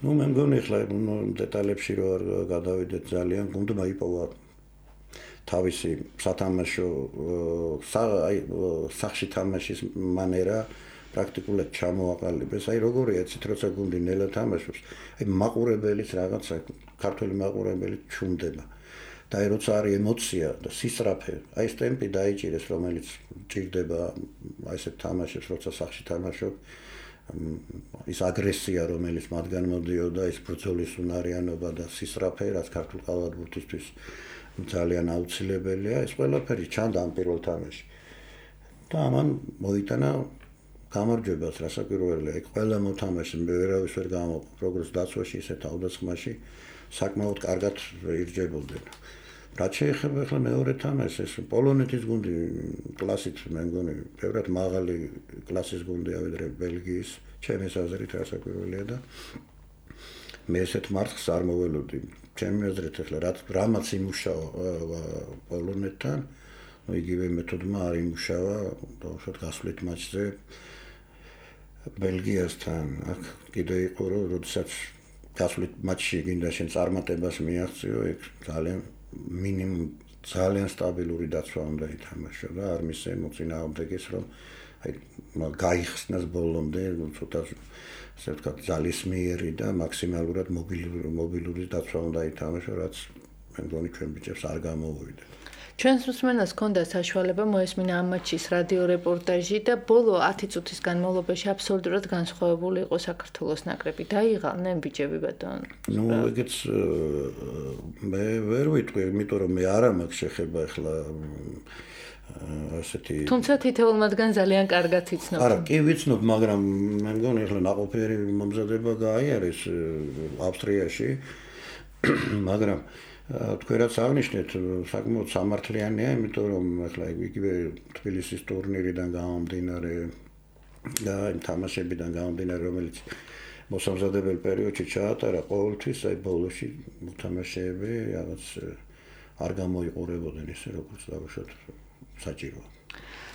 [SPEAKER 3] ნუ მე მგონი ახლა დეტალებში რო არ გადავიდეთ ძალიან, გუნდმა იპოვა თავისი სათამაშო აი სახში თამაშის მანერა პრაქტიკულად ჩამოაყალიბეს. აი როგორია იცით, როცა გუნდი ნელა თამაშობს, აი მაყურებელიც რაღაცა ქართველი მაყურებელი ჩუნდება. და აი როცა არის ემოცია და სისწრაფე, აი ეს ტემპი დაიჭირეს, რომელიც ჭირდება აი ესეთ თამაშებს, როცა სახში თამაშობ, ის აგრესია, რომელიც მათგან მოდიოდა, ის ბრძოლის უნარიანობა და სისწრაფე, რაც ქართულ კალათბურთისთვის ძალიან აუცილებელია, ეს ყველაფერი ჩანდა ამ პირველ თამაში. და ამან მოიტანა გამარჯვებას რასაკვირველია, იქ ყველა მოთამაშე ვერავის ვერ გამოყო, როგორც დაცვაში, ისე თავდასხმაში საკმაოდ კარგად ირჯებოდნენ. რაც შეეხება ახლა მეორე თამაშს, ეს პოლონეთის გუნდი კლასით მე მგონი, ბევრად მაღალი კლასის გუნდია ვიდრე ბელგიის, ჩემს აზრით რასაკვირველია და მე ესეთ მარცხს არ მოველოდი. ჩემი აზრით ახლა რაც რამაც იმუშავა პოლონეთთან, ну იგივე მეთოდმა არ იმუშავა დაუშვათ გასვლით მატჩზე ბელგიასთან. აქ კიდე იყო რომ როდესაც გასვლით მატჩში გინდა შენ წარმატებას მიაღწიო, იქ ძალიან მინიმუმ ძალიან სტაბილური დაცვა უნდა ითამაშო და არ მისცე მოწინააღმდეგეს რომ აი გაიხსნას ბოლომდე ცოტა ასე ვთქვათ ძალისმიერი და მაქსიმალურად მობილური მობილური დაცვა უნდა ითამაშო, რაც მე მგონი ჩვენ ბიჭებს არ გამოუვიდა.
[SPEAKER 2] ჩვენს მსმენელს ჰქონდა საშუალება მოესმინა ამ მატჩის რადიო რეპორტაჟი და ბოლო ათი წუთის განმავლობაში აბსოლუტურად განსხვავებული იყო საქართველოს ნაკრები. დაიღალნენ ბიჭები ბატონო.
[SPEAKER 3] ნუ ეგეც მე ვერ ვიტყვი, იმიტომ რომ მე არა მაქვს შეხება ახლა ასეთი
[SPEAKER 2] თუმცა თითოეულ მათგან ძალიან კარგად იცნობ.
[SPEAKER 3] არა, კი ვიცნობ, მაგრამ მე მგონი ახლა ნაყოფიერი მომზადება გაიარეს ავსტრიაში, მაგრამ თქვენ რაც აღნიშნეთ, საკმაოდ სამართლიანია, იმიტომ რომ ახლა იგივე თბილისის ტურნირიდან გამომდინარე და იმ თამაშებიდან გამომდინარე, რომელიც მოსამზადებელ პერიოდში ჩაატარა, ყოველთვის აი ბოლოში მოთამაშეები რაღაც არ გამოიყურებოდნენ ისე როგორც დავუშვათ საჭიროა.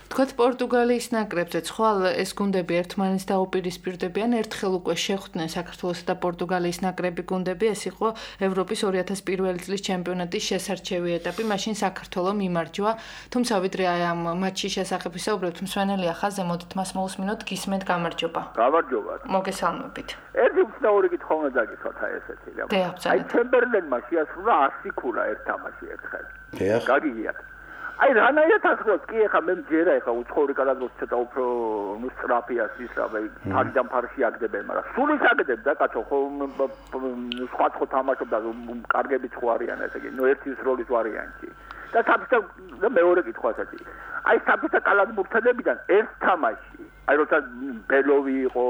[SPEAKER 2] თქვათ პორტუგალიის ნაკრებზე ხვალ ეს გუნდები ერთმანეთს დაუპირისპირდებიან, ერთხელ უკვე შეხვდნენ საქართველოსა და პორტუგალიის ნაკრები გუნდები, ეს იყო ევროპის ორი ათას პირველი წლის ჩემპიონატის შესარჩევი ეტაპი, მაშინ საქართველო მიმარჯვა, თუმცა ვიდრე აი ამ მატჩის შესახებ ვისაუბრებთ, მსმენელი ახალზე მოდით მას მოусმინოთ, გისმენთ გამარჯობა.
[SPEAKER 4] გამარჯობა.
[SPEAKER 2] მოგესალმებით.
[SPEAKER 4] ერთი უცნაური კითხვა უნდა დაგისვათ აი ესეთი. აი ჩემბერლენმა შეასრულა ასი ქულა ერთ თამაში ერთხელ. გაგიგიათ. აი რანაირად ასრულებს კი ახლა მე მჯერა ახლა უცხოური კადროს ცოტა უფრო ნუ სტრაფიას ის რა ფარიდან ფარში აგდებენ, მაგრამ სულ ის აგდებ და კაცო ხო სხვა სხვა თამაშობდა კარგები ხო არიან ესე იგი ნუ ერთის როლის ვარიანტი და საბჭოთა და მეორე კითხვასაც აი საბჭოთა კალათბურთელებიდან ერთ თამაში აი როცა ბელოვი იყო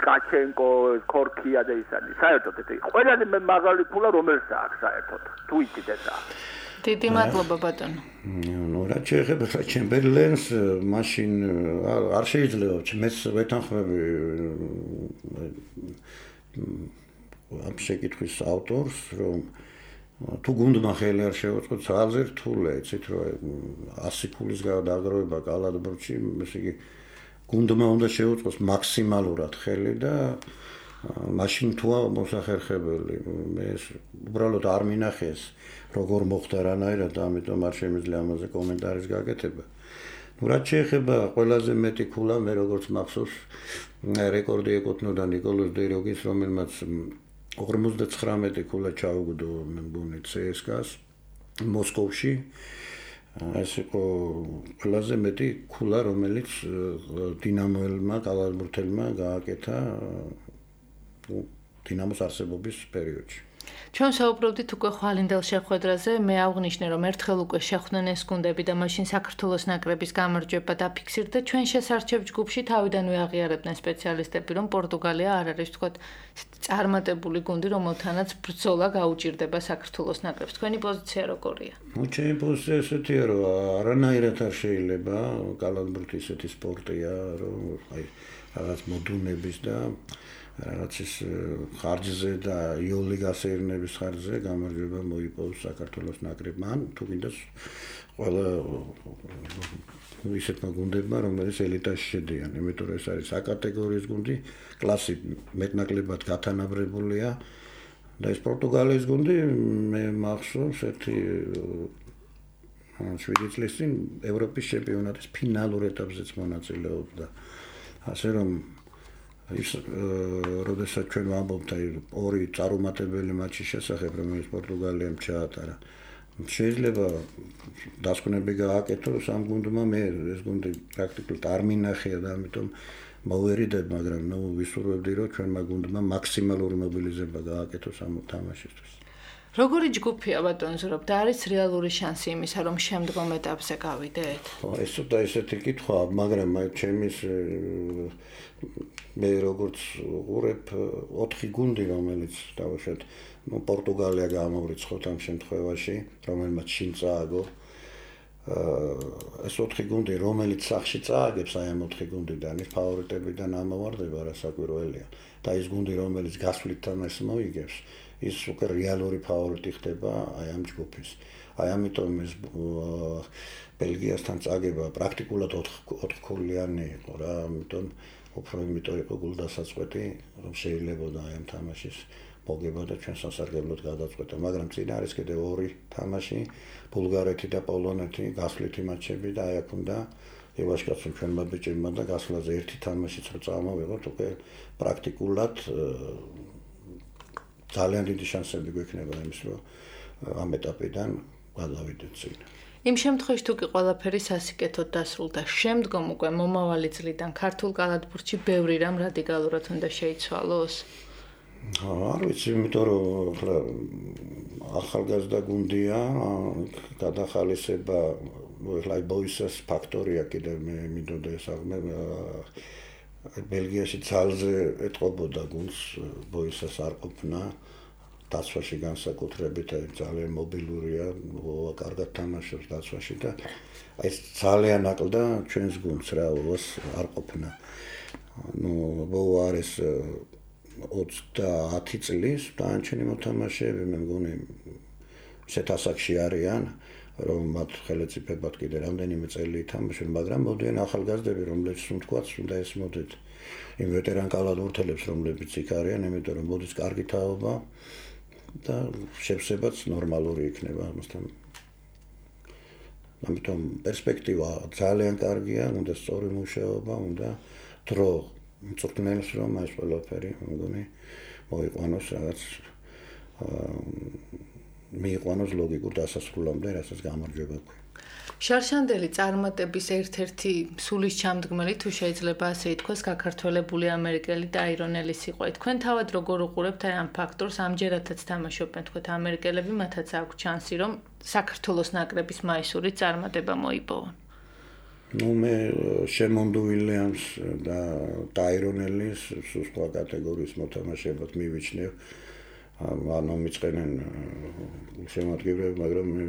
[SPEAKER 4] კაჩენკო კორქია და ისანი საერთოდ ეს ყველაზე მაღალი ფულა რომელს აქვს საერთოდ თუ იცით ესა
[SPEAKER 2] დიდი მადლობა ბატონო.
[SPEAKER 3] ნუ რა შეეხება ჩემბერლენს, მაშინ არ შეიძლება მეც ვეთანხმები ამ შეკითხვის ავტორს, რომ თუ გუნდმა ხელი არ შეუწყო ძალზე რთულია, იცით რომ ასი ქულის გადაგროვება კალათბურთში, ესე იგი გუნდმა უნდა შეუწყოს მაქსიმალურად ხელი და მაშინ თუა მოსახერხებელი. მე უბრალოდ არ მინახეს როგორ მოხდა რანაირად, ამიტომ არ შემიძლია ამაზე კომენტარის გაკეთება. ნუ რაც შეეხება ყველაზე მეტი ქულა, მე როგორც მახსოვს, რეკორდი ეკუთვნოდა ნიკოლოზ დეროგის, რომელმაც ორმოცდათხრამეტი ქულა ჩაუგდო მე მგონი ცსკას მოსკოვში. ეს იყო ყველაზე მეტი ქულა, რომელიც დინამოელმა კალათბურთელმა გააკეთა დინამოს არსებობის პერიოდში.
[SPEAKER 2] ჩვენ საუბრობდით უკვე ხვალინდელ შეხვედრაზე, მე აღვნიშნე რომ ერთხელ უკვე შეხვდნენ ეს გუნდები და მაშინ საქართველოს ნაკრების გამარჯვება დაფიქსირდა. ჩვენ შესარჩევ ჯგუფში თავიდანვე აღიარებდნენ სპეციალისტები, რომ პორტუგალია არ არის თქვათ წარმატებული გუნდი, რომელთანაც ბრძოლა გაუჭირდება საქართველოს ნაკრებს. თქვენი პოზიცია როგორია?
[SPEAKER 3] ნუ ჩემი პოზიცია ესეთია, რომ არანაირად არ შეიძლება კალათბურთი ესეთი სპორტია, რომ აი რაღაც მოდუნების და რაღაც ის ხარჯზე და იოლი გასეირნების ხარჯზე გამარჯვება მოიპოვოს საქართველოს ნაკრებმა, ან თუ გინდა ყველა ისეთმა გუნდებმა, რომელიც ელიტაში შედიან, იმიტომ რომ ეს არის საკატეგორიის გუნდი, კლასი მეტნაკლებად გათანაბრებულია და ეს პორტუგალიის გუნდი მე მახსოვს ერთი შვიდი წლის წინ ევროპის ჩემპიონატის ფინალურ ეტაპზეც მონაწილეობდა. ასე რომ ის როდესაც ჩვენ ვამბობთ აი ორი წარუმატებელი მატჩის შესახებ, რომელიც პორტუგალიამ ჩაატარა, შეიძლება დასკვნები გააკეთო სამ გუნდმა, მე ეს გუნდი პრაქტიკულად არ მინახია და ამიტომ მოვერიდებ, მაგრამ ნუ ვისურვებდი, რომ ჩვენმა გუნდმა მაქსიმალური მობილიზება გააკეთოს ამ თამაშისთვის.
[SPEAKER 2] როგორი ჯგუფია ბატონზურობ და არის რეალური შანსი იმისა, რომ შემდგომ ეტაპზე გავიდეთ?
[SPEAKER 3] ხო, ეს უდა ესეთი კითხვა, მაგრამ აი ჩემის მე როგორც უყურებ ოთხი გუნდი, რომელიც დავუშვათ, ну პორტუგალია გამოვრიცხოთ ამ შემთხვევაში, რომელმაც შინ წააგო. ეს ოთხი გუნდი, რომელიც სახში წააგებს აი ამ ოთხი გუნდიდან, ის ფავორიტებიდან ამოვარდება, რასაკვირველია. და ის გუნდი, რომელიც გასვლით თამაშს მოიგებს, ის უკვე რეალური ფავორიტი ხდება აი ამ ჯგუფის. აი ამიტომ ეს ბელგიასთან წაგება პრაქტიკულად ოთხქულიანი იყო რა, ამიტომ უფრო იმიტომ იყო გულდასაწყვეტი, რომ შეიძლებოდა აი ამ თამაშის მოგება და ჩვენ სასარგებლოდ გადაწყვეტა, მაგრამ წინ არის კიდევ ორი თამაში, ბულგარეთი და პოლონეთი, გასვლითი მატჩები და აი აქ უნდა ევაშკაცო ჩვენმა ბიჭებმა და გასვლაზე ერთი თამაშიც რო წამოვიღოთ, უკვე პრაქტიკულად ძალიან დიდი შანსები გვექნება იმის, რომ ამ ეტაპიდან გადავიდეთ წინ.
[SPEAKER 2] იმ შემთხვევაში თუ კი ყველაფერი სასიკეთოდ დასრულდა, შემდგომ უკვე მომავალი წლიდან ქართულ კალათბურთში ბევრი რამ რადიკალურად უნდა შეიცვალოს?
[SPEAKER 3] არ ვიცი, იმიტომ რომ ახლა ახალგაზრდა გუნდია, გადახალისება, ახლა ბოისას ფაქტორია კიდევ მე მინდოდა ეს აღმე ბელგიაში ძალზე ეტყობოდა გუნდს, ბოისას არ ყოფნა, დაცვაში განსაკუთრებით ძალიან მობილურია, კარგად თამაშობს დაცვაში და აი ძალიან აკლდა ჩვენს გუნდს რა, არ ყოფნა. ნუ ბოუ არის ოცდაათი წლის დანარჩენი მოთამაშეები, მე მგონი ისეთ ასაკში არიან, რომ მათ ხელეწიფებად კიდე რამდენიმე წელი ითამაშონ, მაგრამ მოდიან ახალგაზრდები, რომლებიც თუნდაც უნდა ესმოდეთ იმ ვეტერან კალათბურთელებს, რომლებიც იქ არიან, იმიტომ რომ მოდის კარგი თაობა და შევსებაც ნორმალური იქნება ამასთან. ამიტომ პერსპექტივა ძალიან კარგია, უნდა სწორი მუშაობა, უნდა დრო მწვრთნელს რომ ეს ყველაფერი მგონი მოიყვანოს რაღაც მიიყვანოს ლოგიკურ დასასრულამდე, რასაც გამარჯვება ქვია.
[SPEAKER 2] შარშანდელი წარმატების ერთ-ერთი სულის ჩამდგმელი თუ შეიძლება ასე ითქვას, გაქართველებული ამერიკელი და აირონელის იყო. თქვენ თავად როგორ უყურებთ აი ამ ფაქტორს? ამჯერადაც თამაშობენ თქვენ ამერიკელები, მათაც აქვს შანსი რომ საქართველოს ნაკრების მაისური წარმატება მოიპოვონ.
[SPEAKER 3] ნუ მე შემონ უილიამს და აირონელის სხვა კატეგორიის მოთამაშეებად მივიჩნევ. ანუ მიწყენენ შემოადგენლები, მაგრამ მე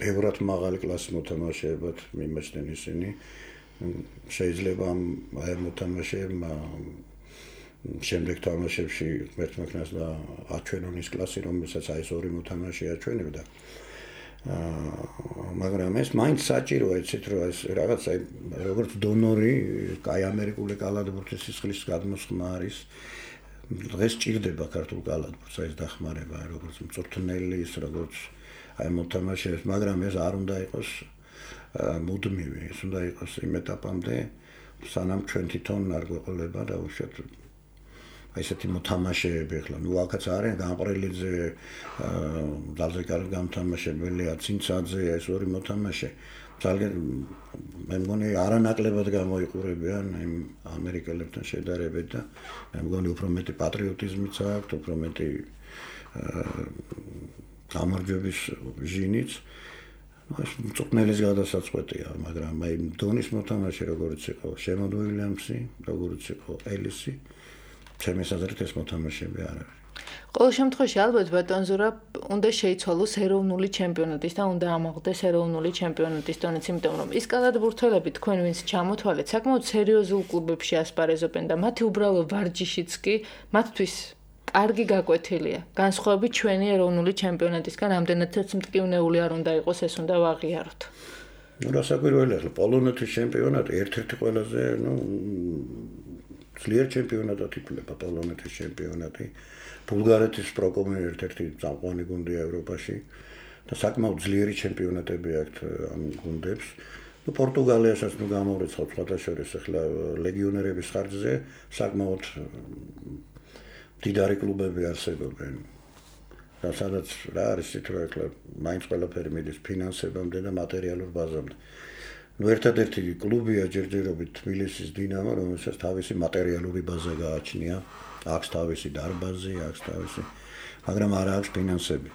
[SPEAKER 3] ბევრად მაღალი კლასის მოთამაშეებად მიმაჩნენ ისინი. შეიძლება აი ამ მოთამაშეებმა შემდეგ თამაშებში მერტმექნას და აჩვენონ ის კლასი, რომელსაც აი ეს ორი მოთამაშე აჩვენებდა. მაგრამ ეს მაინც საჭიროა, იცით რომ ეს რაღაც აი როგორც დონორი, აი ამერიკული კალათბურთის სისხლის გადმოსხმა არის. დღეს ჭირდება ქართულ კალათბურთს ეს დახმარება, როგორც მწვრთნელის, როგორც აი მოთამაშეებს, მაგრამ ეს არ უნდა იყოს მუდმივი, ეს უნდა იყოს იმ ეტაპამდე, სანამ ჩვენ თვითონ არ გვეყოლება და უშუალოდ აი ესეთი მოთამაშეები ახლა, ნუ აქაც არის გამყრელიძე, ძალზე კარგი გამთამაშებელია, ცინცაძე, ეს ორი მოთამაშე. ძალიან მე მგონი არანაკლებად გამოიყურებიან იმ ამერიკელებთან შედარებით და მე მგონი უფრო მეტი პატრიოტიზმიც აქვს, უფრო მეტი გამარჯვების ჟინიც. ეს მწვრთნელის გადასაწყვეტია, მაგრამ აი დონის მოთამაშე როგორც იყო შემონ უილიამსი, როგორც იყო ელისი, ჩემს აზრით ეს მოთამაშეები არ არის.
[SPEAKER 2] ყოველ შემთხვევაში ალბათ ბატონზურაბ უნდა შეიცვალოს ეროვნული ჩემპიონატის და უნდა ამაღლდეს ეროვნული ჩემპიონატის დონეც, იმიტომ რომ ის კალათბურთელები თქვენ ვინც ჩამოთვალეთ, საკმაოდ სერიოზულ კლუბებში ასპარეზობენ და მათი უბრალო ვარჯიშიც კი მათთვის კარგი გაკვეთილია. განსხვავებით ჩვენი ეროვნული ჩემპიონატისგან, რამდენადაც მტკივნეული არ უნდა იყოს, ეს უნდა ვაღიაროთ.
[SPEAKER 3] ნუ რასაკვირველია, ახლა პოლონეთის ჩემპიონატი ერთ-ერთი ყველაზე, ნუ ძლიერ ჩემპიონატად ითვლება პოლონეთის ჩემპიონატი. ბულგარეთის პროკომი ერთ-ერთი წამყვანი გუნდია ევროპაში და საკმაოდ ძლიერი ჩემპიონატები აქვთ ამ გუნდებს. ნუ პორტუგალიასაც ნუ გამოვრიცხავთ სხვათა შორის ახლა ლეგიონერების ხარჯზე საკმაოდ დიდარი კლუბები არსებობენ. და სადაც რა არის თითო ახლა მაინც ყველაფერი მიდის ფინანსებამდე და მატერიალურ ბაზამდე. ნუ ერთადერთი კლუბია ჯერჯერობით თბილისის დინამო, რომელსაც თავისი მატერიალური ბაზა გააჩნია. აქვს თავისი დარბაზი, აქვს თავისი, მაგრამ არ აქვს ფინანსები.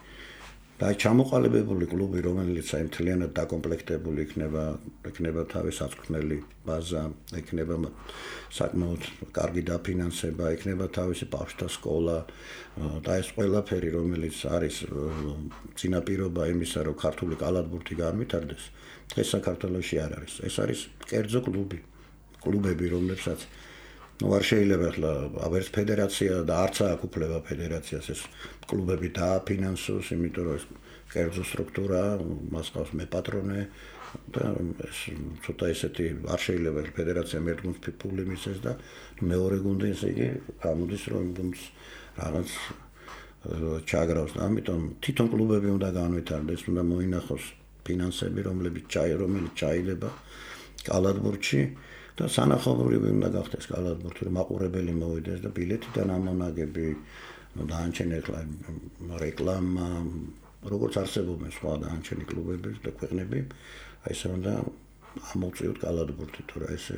[SPEAKER 3] და ჩამოყალიბებული კლუბი, რომელიც აი მთლიანად დაკომპლექტებული იქნება, იქნება თავის აწვრთნელი ბაზა, იქნება საკმაოდ კარგი დაფინანსება, იქნება თავისი ბავშვთა სკოლა და ეს ყველაფერი, რომელიც არის წინაპირობა იმისა, რომ ქართული კალათბურთი განვითარდეს, დღეს საქართველოში არ არის. ეს არის კერძო კლუბი, კლუბები, რომლებსაც ну არ შეიძლება ახლა ვერც ფედერაცია და არც აქვს უფლება ფედერაციას ეს კლუბები დააფინანსოს, იმიტომ რომ ეს კერძო სტრუქტურა, მას ყავს მეპატრონე და ეს ცოტა ესეთი არ შეიძლება ფედერაციამ ერთ გუნდს ფული მისცეს და მეორე გუნდი ესე იგი გამოდის რომ გუნდს რაღაც ჩაგრავს და ამიტომ თვითონ კლუბები უნდა განვითარდეს, უნდა მოინახოს ფინანსები, რომლებიც ჩაი რომელიც ჩაილება კალათბურთში და სანახაობრივი უნდა გახდეს კალათბურთი, რომ მაყურებელი მოვიდეს და ბილეთიდან ამონაგები, ну დაანჩენ ახლა რეკლამა, როგორც არსებობენ სხვა დაანჩენი კლუბები და ქვეყნები, აი ესე უნდა ამოვწიოთ კალათბურთი, თუ რა ესე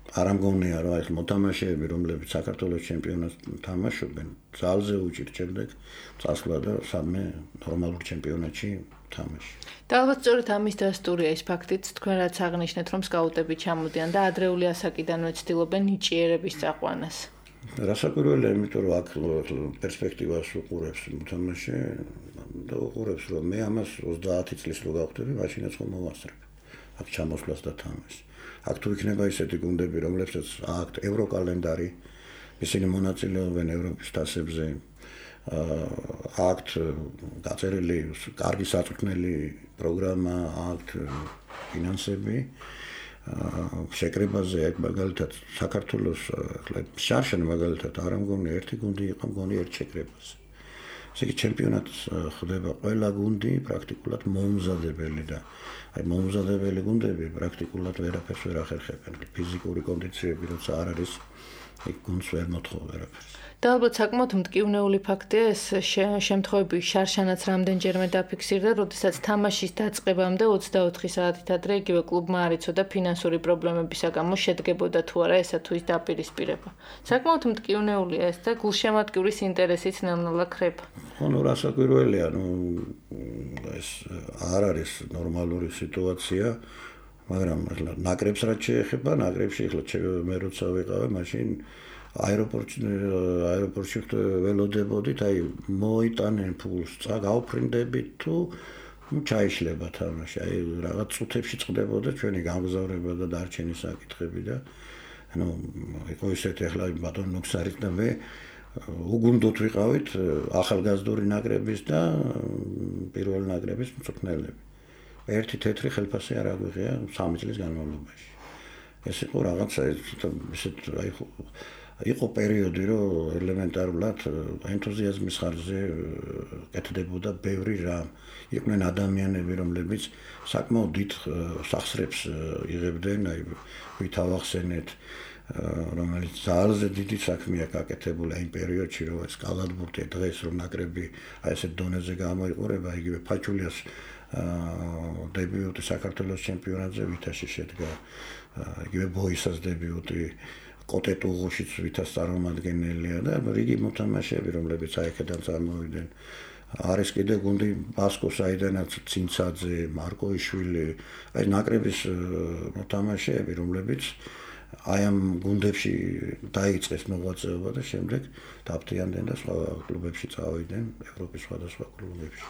[SPEAKER 3] არ ამგონია რომ ეს მოთამაშეები, რომლებიც საქართველოს ჩემპიონატს თამაშობენ, ძალზე უჭირთ შემდეგ წასვლა და სამე ნორმალურ ჩემპიონატში თამაში.
[SPEAKER 2] და ალბათ სწორედ ამის დასტურია ის ფაქტიც, თქვენ რაც აღნიშნეთ, რომ სკაუტები ჩამოდიან და ადრეული ასაკიდანვე ცდილობენ ნიჭიერების წაყვანას.
[SPEAKER 3] რასაკვირველია, იმიტომ რომ აქ პერსპექტივას უყურებს მოთამაშე და უყურებს რომ მე ამას ოცდაათი წლის რო გავხდები, მაშინაც ხომ მოვასწრებ. აქ ჩამოსვლას და თამაშს. აქ თუ იქნება ისეთი გუნდები, რომლებსაც აქვთ ევროკალენდარი, ისინი მონაწილეობენ ევროპის თასებზე, აქვთ გაწერილი კარგი საწვრთნელი პროგრამა, აქვთ ფინანსები, შეკრებაზე აქ მაგალითად საქართველოს ახლა შარშან მაგალითად არ ამგონი ერთი გუნდი იყო მგონი ერთ შეკრებაზე. ესე იგი ჩემპიონატს ხდება ყველა გუნდი პრაქტიკულად მომზადებელი და აი მომზადებელი გუნდები პრაქტიკულად ვერაფერს ვერ ახერხებენ. ფიზიკური კონდიციები როცა არ არის, იქ გუნდს ვერ მოთხოვ ვერაფერს.
[SPEAKER 2] და ალბათ საკმაოდ მტკივნეული ფაქტია ეს შემთხვევები შარშანაც რამდენჯერმე დაფიქსირდა, როდესაც თამაშის დაწყებამდე ოცდაოთხი საათით ადრე იგივე კლუბმა არ იცოდა ფინანსური პრობლემებისა გამო შედგებოდა თუ არა ესა თუ ის დაპირისპირება. საკმაოდ მტკივნეულია ეს და გულშემატკივრის ინტერესიც ნელ-ნელა ქრება.
[SPEAKER 3] ხო, ნუ რასაკვირველია, ნუ ეს არ არის ნორმალური სიტუაცია, მაგრამ ნაკრებს რაც შეეხება, ნაკრებში ახლა მე როცა ვიყავე, მაშინ აეროპორტში აეროპორტში ველოდებოდით, აი მოიტანენ ფულს, წაგავფრინდებით თუ ну ჩაიშლება თამაში, აი რაღაც წუთებში წყდებოდა ჩვენი გამგზავრება და დარჩენი საკითხები და ну იყო ისეთი ახლა ბატონ ნუქსარის და მე უგუნდოთ ვიყავით ახალგაზრდული ნაკრების და პირველი ნაკრების მწვრთნელები. ერთი თეთრი ხელფასი არ აგვიღია სამი წლის განმავლობაში. ეს იყო რაღაცა ისეთ აი იყო პერიოდი, რომ ელემენტარულად ენთუზიაზმის ხარჯზე კეთდებოდა ბევრი რამ. იყვნენ ადამიანები, რომლებიც საკმაოდ დიდ სახსრებს იღებდნენ, აი ვით ავახსენეთ, რომელიც ძალზე დიდი საქმეა გაკეთებული იმ პერიოდში, რომ ეს კალათბურთი დღეს რომ ნაკრები აი ესეთ დონეზე გამოიყურება, იგივე ფაჩულიას დებიუტი საქართველოს ჩემპიონატზე ვითაში შედგა, იგივე ბოისას დებიუტი კოტეტუღოშიც ვითას წარმომადგენელია და რიგი მოთამაშეები, რომლებიც აი აქედან წარმოვიდნენ. არის კიდე გუნდი ბასკო საიდანაც ცინცაძე, მარკოიშვილი, აი ნაკრების მოთამაშეები, რომლებიც აი ამ გუნდებში დაიწყეს მოღვაწეობა და შემდეგ დაფრთხილდნენ და სხვა კლუბებში წავიდნენ, ევროპის სხვადასხვა კლუბებში.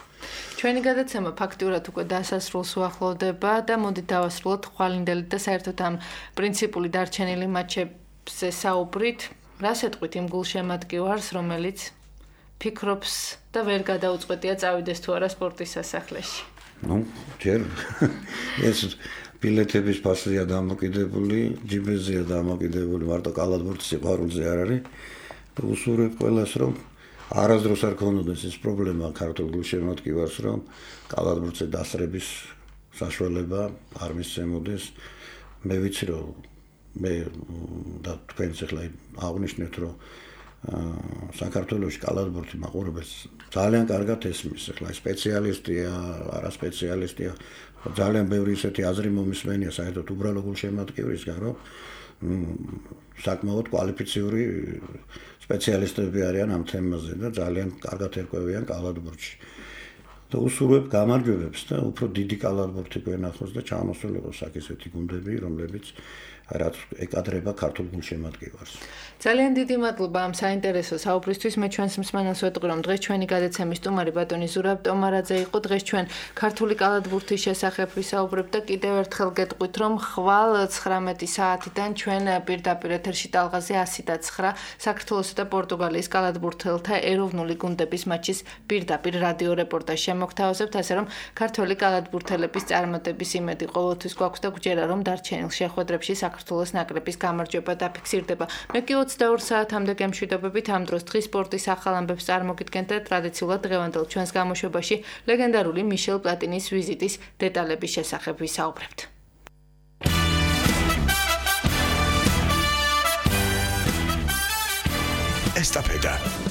[SPEAKER 2] ჩვენი გადაცემა ფაქტურად უკვე დასასრულს უახლოვდება და მოდით დავასრულოთ ხვალინდელი და საერთოდ ამ პრინციპული დარჩენილი მატჩებზე საუბრით. რას ეტყვით იმ გულშემატკივარს, რომელიც ფიქრობს და ვერ გადაუწყვეტია წავიდეს თუ არა სპორტის სასახლეში?
[SPEAKER 3] ну ჯერ ეს ბილეთების ფასია დამოკიდებული, ჯიბეზეა დამოკიდებული, მარტო კალათბურთის სიყვარულზე არ არის. უსურვებ ყველას, რომ არასდროს არ ქონოდეს ეს პრობლემა ქართულ გულშემატკივარს, რომ კალათბურთზე დასწრების საშუალება არ მისცემოდეს. მე ვიცი, რომ მე და თქვენც ახლა აღნიშნეთ, რომ საქართველოში კალათბურთი მაყურებელს ძალიან კარგად ესმის. ახლა სპეციალისტია, არა სპეციალისტია, ძალიან ბევრი ისეთი აზრი მომისმენია საერთოდ უბრალო გულშემატკივრისგან, რომ საკმაოდ კვალიფიციური სპეციალისტები არიან ამ თემაზე და ძალიან კარგად ერკვევიან კალათბურთში. და უსურვებ გამარჯვებებს და უფრო დიდი კალათბურთი გვენახოს და ჩამოსულიყოს აქ ესეთი გუნდები, რომლებიც რაც ეკადრება ქართულ გულშემატკივარს.
[SPEAKER 2] ძალიან დიდი მადლობა ამ საინტერესო საუბრისთვის. მე ჩვენს მსმენელს ვეტყვი, რომ დღეს ჩვენი გადაცემის სტუმარი ბატონი ზურაბ ტომარაძე იყო. დღეს ჩვენ ქართული კალათბურთის შესახებ ვისაუბრებთ და კიდევ ერთხელ გეტყვით, რომ ხვალ ცხრამეტი საათიდან ჩვენ პირდაპირ ეთერში ტალღაზე ასი და ცხრა საქართველოსა და პორტუგალიის კალათბურთელთა ეროვნული გუნდების მატჩის პირდაპირ რადიო რეპორტაჟს შემოგთავაზებთ, ასე რომ ქართველი კალათბურთელების წარმატების იმედი ყოველთვის გვაქვს და გვჯერა, რომ დარჩენილ შეხვედრებში საქართველოს ნაკრების გამარჯვება დაფიქსირდება. მე კი ოცდაორ საათამდე გემშვიდობებით ამ დროს დღის სპორტის ახალ ამბებს წარმოგიდგენთ და ტრადიციულად დღევანდელ ჩვენს გამოშვებაში ლეგენდარული მიშელ პლატინის ვიზიტის დეტალების შესახებ ვისაუბრებთ.
[SPEAKER 1] ესტაფეტა